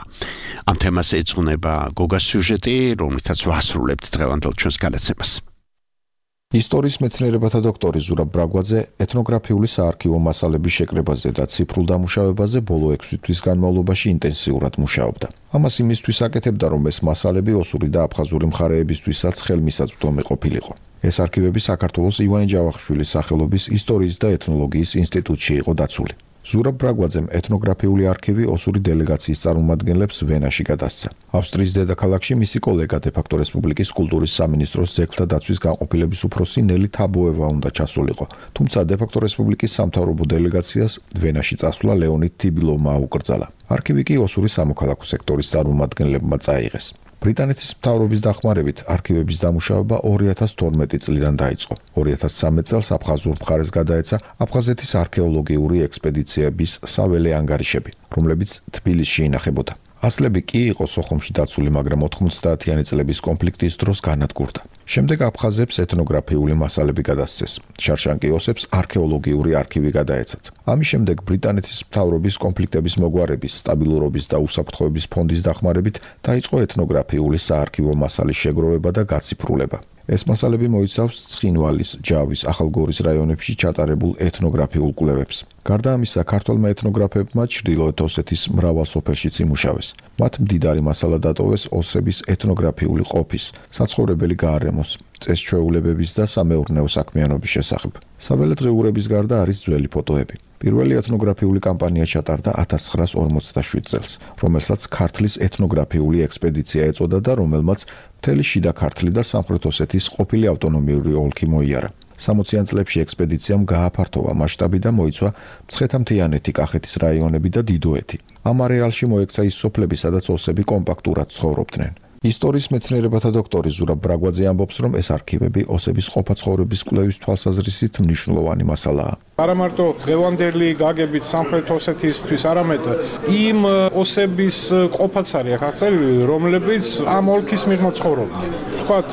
ამ თემას ეძღვნება გოგას სიუჟეტი, რომელთაც ვასრულებთ დღევანდელ ჩვენს გადაცემას. ისტორიის მეცნიერებათა დოქტორი ზურაბ ბრაგვაძე ეთნოგრაფიული საარქივო მასალების შეკრებაზე და ციფრულ დამუშავებაზე ბოლო 6 თვის განმავლობაში ინტენსიურად მუშაობდა. ამას იმისთვის აკეთებდა, რომ ეს მასალები ოსური და აფხაზური მხარეებისთვისაც ხელმისაწვდომი ყოფილიყო. ეს არქივები საქართველოს ივანე ჯავახიშვილის სახელობის ისტორიის და ეთნოლოგიის ინსტიტუტში იყო დაცული. ზურაბ ბრაგვაძემ ეთნოგრაფიული არქივი ოსური დელეგაციის წარმომადგენლებს ვენაში გადასცა. ავსტრიის დედაქალაქში მისი კოლეგა დე-ფაქტო რესპუბლიკის კულტურის სამინისტროს ძეგლთა დაცვის განყოფილების უფროსი ნელი თაბოევა უნდა ჩასულიყო, თუმცა დე-ფაქტო რესპუბლიკის სამთავრობო დელეგაციას ვენაში წასვლა ლეონიდ თიბილოვმა აუკრძალა. არქივი კი ოსური სამოქალაქო სექტორის წარმომადგენლებმა წაიღეს. ბრიტანეთის მთავრობის დახმარებით არქივების დამუშავება 2012 წლიდან დაიწყო. 2013 წელს აფხაზურ მხარეს გადაეცა აფხაზეთის არქეოლოგიური ექსპედიციების საველე ანგარიშები, რომლებიც თბილისში ინახებოდა. ასლები კი იყო სოხუმში დაცული, მაგრამ 90-იანი წლების კონფლიქტის დროს განადგურდა. შემდეგ აფხაზებს ეთნოგრაფიული მასალები გადასცეს. შარშანკიოსებს არქეოლოგიური არქივი გადაეცათ. ამის შემდეგ ბრიტანეთის მთავრობის კონფლიქტების მოგვარების, სტაბილურობის და უსაფრთხოების ფონდის დახმარებით დაიწყო ეთნოგრაფიული საარქივო მასალის შეგროვება და გაციფრულება. ეს მასალები მოიცავს ცხინვალის, ჯავის, ახალგორის რაიონებში ჩატარებულ ეთნოგრაფიულ კვლევებს. გარდა ამისა, ქართველმა ეთნოგრაფებმა ჩრდილოეთ ოსეთის მრავალ სოფელშიც იმუშავეს. მათ მდიდარი მასალა დატოვეს ოსების ეთნოგრაფიული ყოფის, საცხოვრებელი გაარემოს, წესჩვეულებების და სამეურნეო საქმიანობის შესახებ. საველე დღიურების გარდა არის ძველი ფოტოები. პირველი ეთნოგრაფიული კამპანია ჩატარდა 1947 წელს, რომელსაც ქართლის ეთნოგრაფიული ექსპედიცია ეწოდა და რომელმაც მთელი შიდა ქართლი და სამხრეთ ოსეთის ყოფილი ავტონომიური ოლქი მოიარა. 60-იან წლებში ექსპედიციამ გააფართოვა მასშტაბი და მოიცვა მცხეთა-მთიანეთი, კახეთის რაიონები და დიდოეთი. ამ არეალში მოექცა ის სოფლები, სადაც ოსები კომპაქტურად ცხოვრობდნენ. ისტორიის მეცნიერებათა დოქტორი ზურაბ ბრაგვაძე ამბობს, რომ ეს არქივები ოსების ყოფა-ცხოვრების კვლევის თვალსაზრისით მნიშვნელოვანი მასალაა. არა მარტო დღევანდელი გაგებით სამხრეთ ოსეთისთვის, არამედ იმ ოსების ყოფაც არის აღწერილი, რომლებიც ამ ოლქის მიღმა ცხოვრობდნენ. თქვათ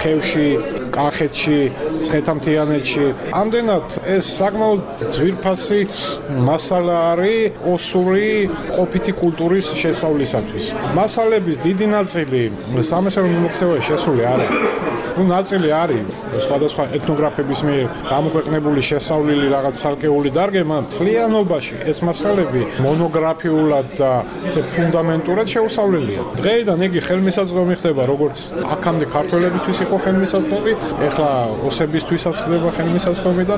ხევში, კახეთში, მცხეთა-მთიანეთში. ამდენად ეს საკმაოდ ძვირფასი მასალა არის ოსური ყოფითი კულტურის შესწავლისათვის. მასალების დიდი ნაწილი სამეცნიერო მიმოქცევაში შესული არ არის. ნაწილი არის სხვადასხვა ეთნოგრაფების მიერ გამოქვეყნებული შესწავლილი რაღაც ცალკეული დარგება, მთლიანობაში ეს მასალები მონოგრაფიულად და ფუნდამენტურად შეუსწავლელია. დღეიდან იგი ხელმისაწვდომი ხდება, როგორც აქამდე ქართველებისთვის იყო ხელმისაწვდომი, ეხლა ოსებისთვისაც ხდება ხელმისაწვდომი და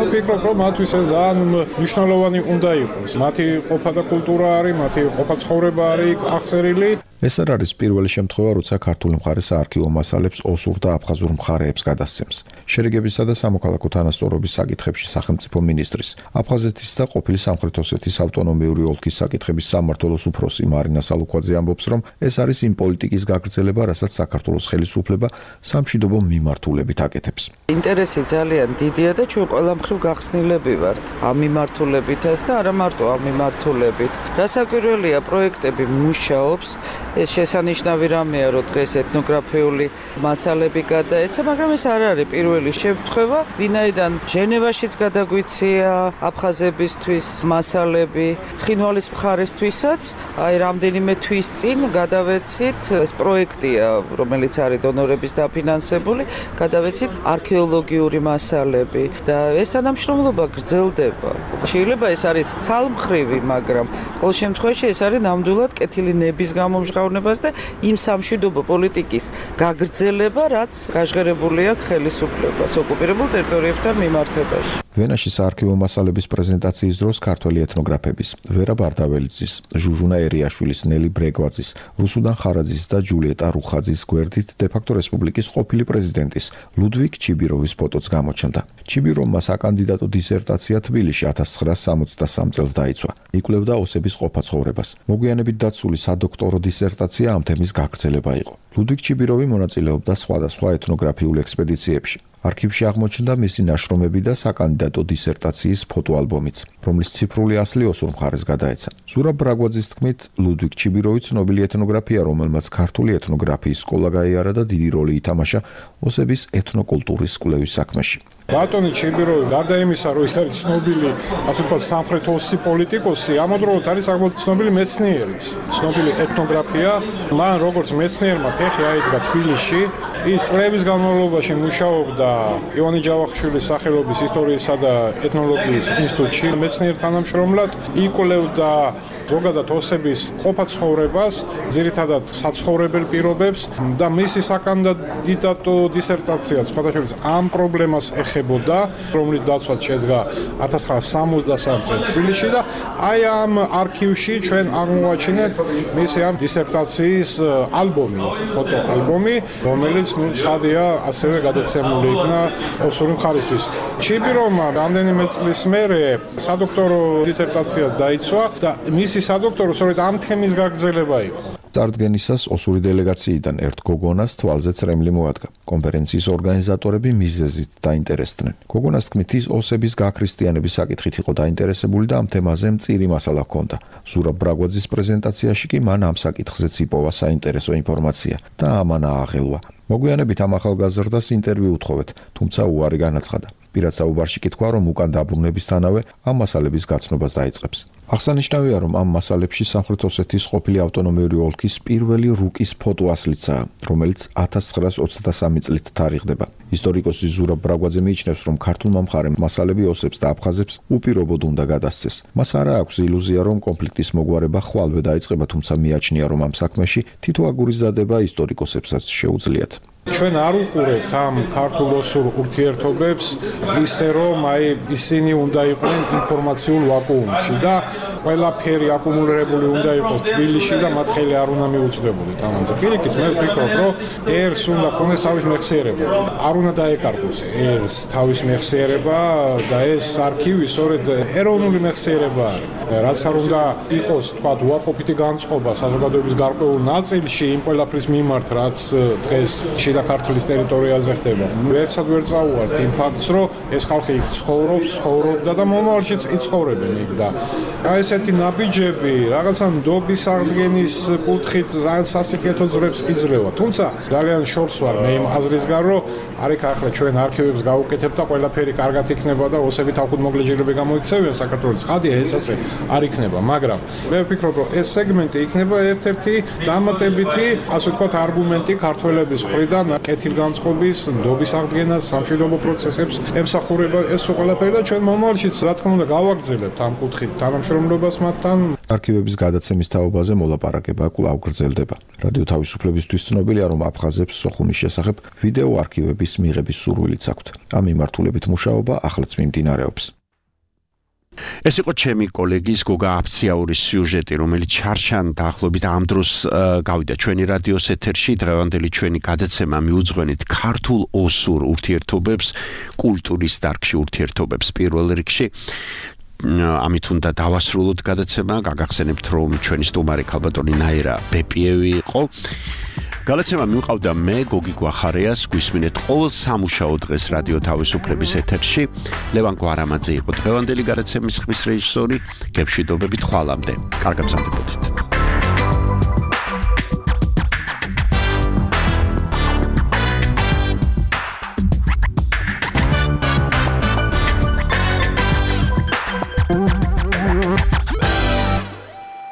ვფიქრობ, რომ მათთვის ეს ძალიან მნიშვნელოვანი უნდა იყოს. მათი ყოფა და კულტურა არის, მათი ყოფა ცხოვრება არის აღწერილი. ეს არ არის პირველი შემთხვევა, როცა ქართული მხარე საარქივო მასალებს ოსურ და აფხაზურ მხარეებს გადასცემს. შერიგებისა და სამოქალაქო თანასწორობის საკითხებში სახელმწიფო მინისტრის, აფხაზეთის და ყოფილი სამხრეთ ოსეთის ავტონომიური ოლქის საკითხების სამმართველოს უფროსი მარინა სალუქვაძე ამბობს, რომ ეს არის იმ პოლიტიკის გაგრძელება, რასაც საქართველოს ხელისუფლება სამშვიდობო მიმართულებით აკეთებს. ინტერესი ძალიან დიდია და ჩვენ ყველა მხრივ გახსნილები ვართ ამ მიმართულებითაც და არა მარტო ამ მიმართულებით. რასაკვირველია, პროექტები მუშაობს. ეს შესანიშნავი რამეა, რომ დღეს ეთნოგრაფიული მასალები გადაეცა, მაგრამ ეს არ არის პირველი შემთხვევა, ვინაიდან ჟენევაშიც გადაგვიცია აფხაზებისთვის მასალები, ცხინვალის მხარესთვისაც, აი რამდენიმე თვის წინ გადავეცით, ეს პროექტია, რომელიც არის დონორების დაფინანსებული, გადავეცით არქეოლოგიური მასალები და ეს თანამშრომლობა გრძელდება. შეიძლება ეს არის ცალმხრივი, მაგრამ ყოველ შემთხვევაში ეს არის ნამდვილად კეთილი ნების გამომჟღავნებას და იმ სამშვიდობო პოლიტიკის გაგრძელება, რაც გაჟღერებული აქვს ხელისუფლებას ოკუპირებულ ტერიტორიებთან მიმართებაში. ვენაში საარქივო მასალების პრეზენტაციის დროს ქართველი ეთნოგრაფების ვერა ბარდაველიძის, ჟუჟუნა ერიაშვილის, ნელი ბრეგვაძის, რუსუდან ხარაძის და ჯულიეტა რუხაძის გვერდით დე-ფაქტო რესპუბლიკის ყოფილი პრეზიდენტის ლუდვიგ ჩიბიროვის ფოტოც გამოჩნდა. ჩიბიროვმა საკანდიდატო დისერტაცია თბილისში 1963 წელს დაიცვა. იკვლევდა ოსების ყოფა-ცხოვრებას. მოგვიანებით დაცული სადოქტორო დისერტაცია ამ თემის გაგრძელება იყო. ლუდვიგ ჩიბიროვი მონაწილეობდა სხვადასხვა ეთნოგრაფიულ ექსპედიციებში. არქივში აღმოჩნდა მისი ნაშრომები და საკანდიდატო დისერტაციის ფოტოალბომიც, რომლის ციფრული ასლი ოსურ მხარეს გადაეცა. ზურაბ ბრაგვაძის თქმით, ლუდვიგ ჩიბიროვი ცნობილი ეთნოგრაფია, რომელმაც ქართული ეთნოგრაფიის სკოლა გაიარა და დიდი როლი ითამაშა ოსების ეთნოკულტურის კვლევის საქმეში. ბატონი ჩიბიროვი, გარდა იმისა, რომ ის არის ცნობილი, ასე ვთქვათ, სამხრეთ ოსი პოლიტიკოსი, ამავდროულად არის საკმაოდ ცნობილი მეცნიერიც, ცნობილი ეთნოგრაფია. მან როგორც მეცნიერმა ფეხი აიდგა თბილისში, ის წლების განმავლობაში მუშაობდა ივანე ჯავახიშვილის სახელობის ისტორიისა და ეთნოლოგიის ინსტიტუტში მეცნიერ თანამშრომლად, იკვლევდა ზოგადად ოსების ყოფა-ცხოვრებას, ძირითადად საცხოვრებელ პირობებს და მისი საკანდიდატო დისერტაცია სხვადასხვა ამ პრობლემას ეხებოდა, რომლის დაცვაც შედგა 1963 წელს თბილისში და აი ამ არქივში ჩვენ აღმოვაჩინეთ მისი ამ დისერტაციის ალბომი, ფოტოალბომი, რომელიც ცხადია ასევე გადაცემული იქნა ოსური მხარისთვის. ჩიბიროვმა რამდენიმე წლის მერე სადოქტორო დისერტაციას დაიცვა და მისი სადოქტორო სწორედ ამ თემის გაგრძელება იყო. წარდგენისას ოსური დელეგაციიდან ერთ გოგონას თვალზე წრემლი მოადგა. კონფერენციის ორგანიზატორები მიზეზით დაინტერესდნენ. გოგონას თქმით, ის ოსების გაქრისტიანების საკითხით იყო დაინტერესებული და ამ თემაზე მწირი მასალა ჰქონდა. ზურაბ ბრაგვაძის პრეზენტაციაში კი მან ამ საკითხზეც იპოვა საინტერესო ინფორმაცია და ამან ააღელვა. მოგვიანებით ამ ახალგაზრდას ინტერვიუ უთხოვეთ, თუმცა უარი განაცხადა. პირად საუბარში კი თქვა, რომ უკან დაბრუნებისთანავე ამ მასალების გაცნობას დაიწყებს. აღსანიშნავია, რომ ამ მასალებში სამხრეთ ოსეთის ყოფილი ავტონომიური ოლქის პირველი რუკის ფოტოასლიცაა, რომელიც 1923 წლით თარიღდება. ისტორიკოსი ზურაბ ბრაგვაძე მიიჩნევს, რომ ქართულმა მხარემ მასალები ოსებს და აფხაზებს უპირობოდ უნდა გადასცეს. მას არა აქვს ილუზია, რომ კონფლიქტის მოგვარება ხვალვე დაიწყება, თუმცა მიაჩნია, რომ ამ საქმეში თითო აგურის დადება ისტორიკოსებსაც შეუძლიათ. ჩვენ არ უყურებთ ამ ქართულ-ოსურ ურთიერთობებს ისე, რომ ისინი უნდა იყვნენ ინფორმაციულ ვაკუუმში და ყველაფერი აკუმულირებული უნდა იყოს თბილისში და მათ ხელი არ უნდა მიუწვდებული თამაზე. პირიქით, მე ვფიქრობ, რომ ერს უნდა ქონდეს თავის მეხსიერება. არ უნდა დაეკარგოს ერს თავის მეხსიერება და ეს არქივი სწორედ ეროვნული მეხსიერება არის. რაც არ უნდა იყოს, თქვა, უარყოფითი განწყობა საზოგადოების გარკვეულ ნაწილში იმ ყველაფრის მიმართ, რაც დღეს შიდა ქართლის ტერიტორიაზე ხდება. ვერცად ვერ წაუვართ იმ ფაქტს, რომ ეს ხალხი იქ ცხოვრობდა და მომავალშიც იცხოვრებენ იქ და აი ესეთი ნაბიჯები რაღაცა ნდობის აღდგენის კუთხით რაღაც სასიკეთო ძრებს იძლევა. თუმცა ძალიან შორს ვარ მე იმ აზრისგან, რომ არიქ ახლა ჩვენ არქივებს გავუკეთებთ და ყველაფერი კარგად იქნება და ოსები თავკუთმოგლეჯერები გამოიქცევიან საქართველოს. ხადია ეს ასე არ იქნება, მაგრამ მე ვფიქრობ, რომ ეს სეგმენტი იქნება ერთ-ერთი დამატებითი, ასე ვთქვათ, არგუმენტი ქართველების მხრიდან კეთილგანწყობის, ნდობის აღდგენას, სამშვიდობო პროცესებს ემსახურება ეს ყველაფერი და ჩვენ მომავალშიც რა თქმა უნდა გავაგრძელებთ ამ კუთხით თანამშრომლობას მათთან. არქივების გადაცემის თაობაზე მოლაპარაკება კვლავ გრძელდება. რადიო თავისუფლებისთვის ცნობილია, რომ აფხაზებს სოხუმის შესახებ ვიდეო არქივების მიღების სურვილიც აქვთ. ამ მიმართულებით მუშაობა ახლაც მიმდინარეობს. ეს იყო ჩემი კოლეგის გოგა აფციაურის სიუჟეტი, რომელიც ჩარჩან დაახლოებით ამ დროს გავიდა ჩვენი რადიოს ეთერში. დღევანდელი ჩვენი გადაცემა მიუძღვენით ქართულ-ოსურ ურთიერთობებს, კულტურის დარგში ურთიერთობებს პირველ რიგში. ამით უნდა დავასრულოთ გადაცემა. გაგახსენებთ, რომ ჩვენი სტუმარი ქალბატონი ნაირა ბეპიევი იყო. გადაცემა მივყავდა მე, გოგი გვახარიას, გვისმინეთ ყოველ სამუშაო დღეს რადიო თავისუფლების ეთერში. ლევან გვარამაძე იყო დღევანდელი გადაცემის ხმის რეჟისორი. გემშვიდობებით ხვალამდე. კარგად მზადდებოდეთ.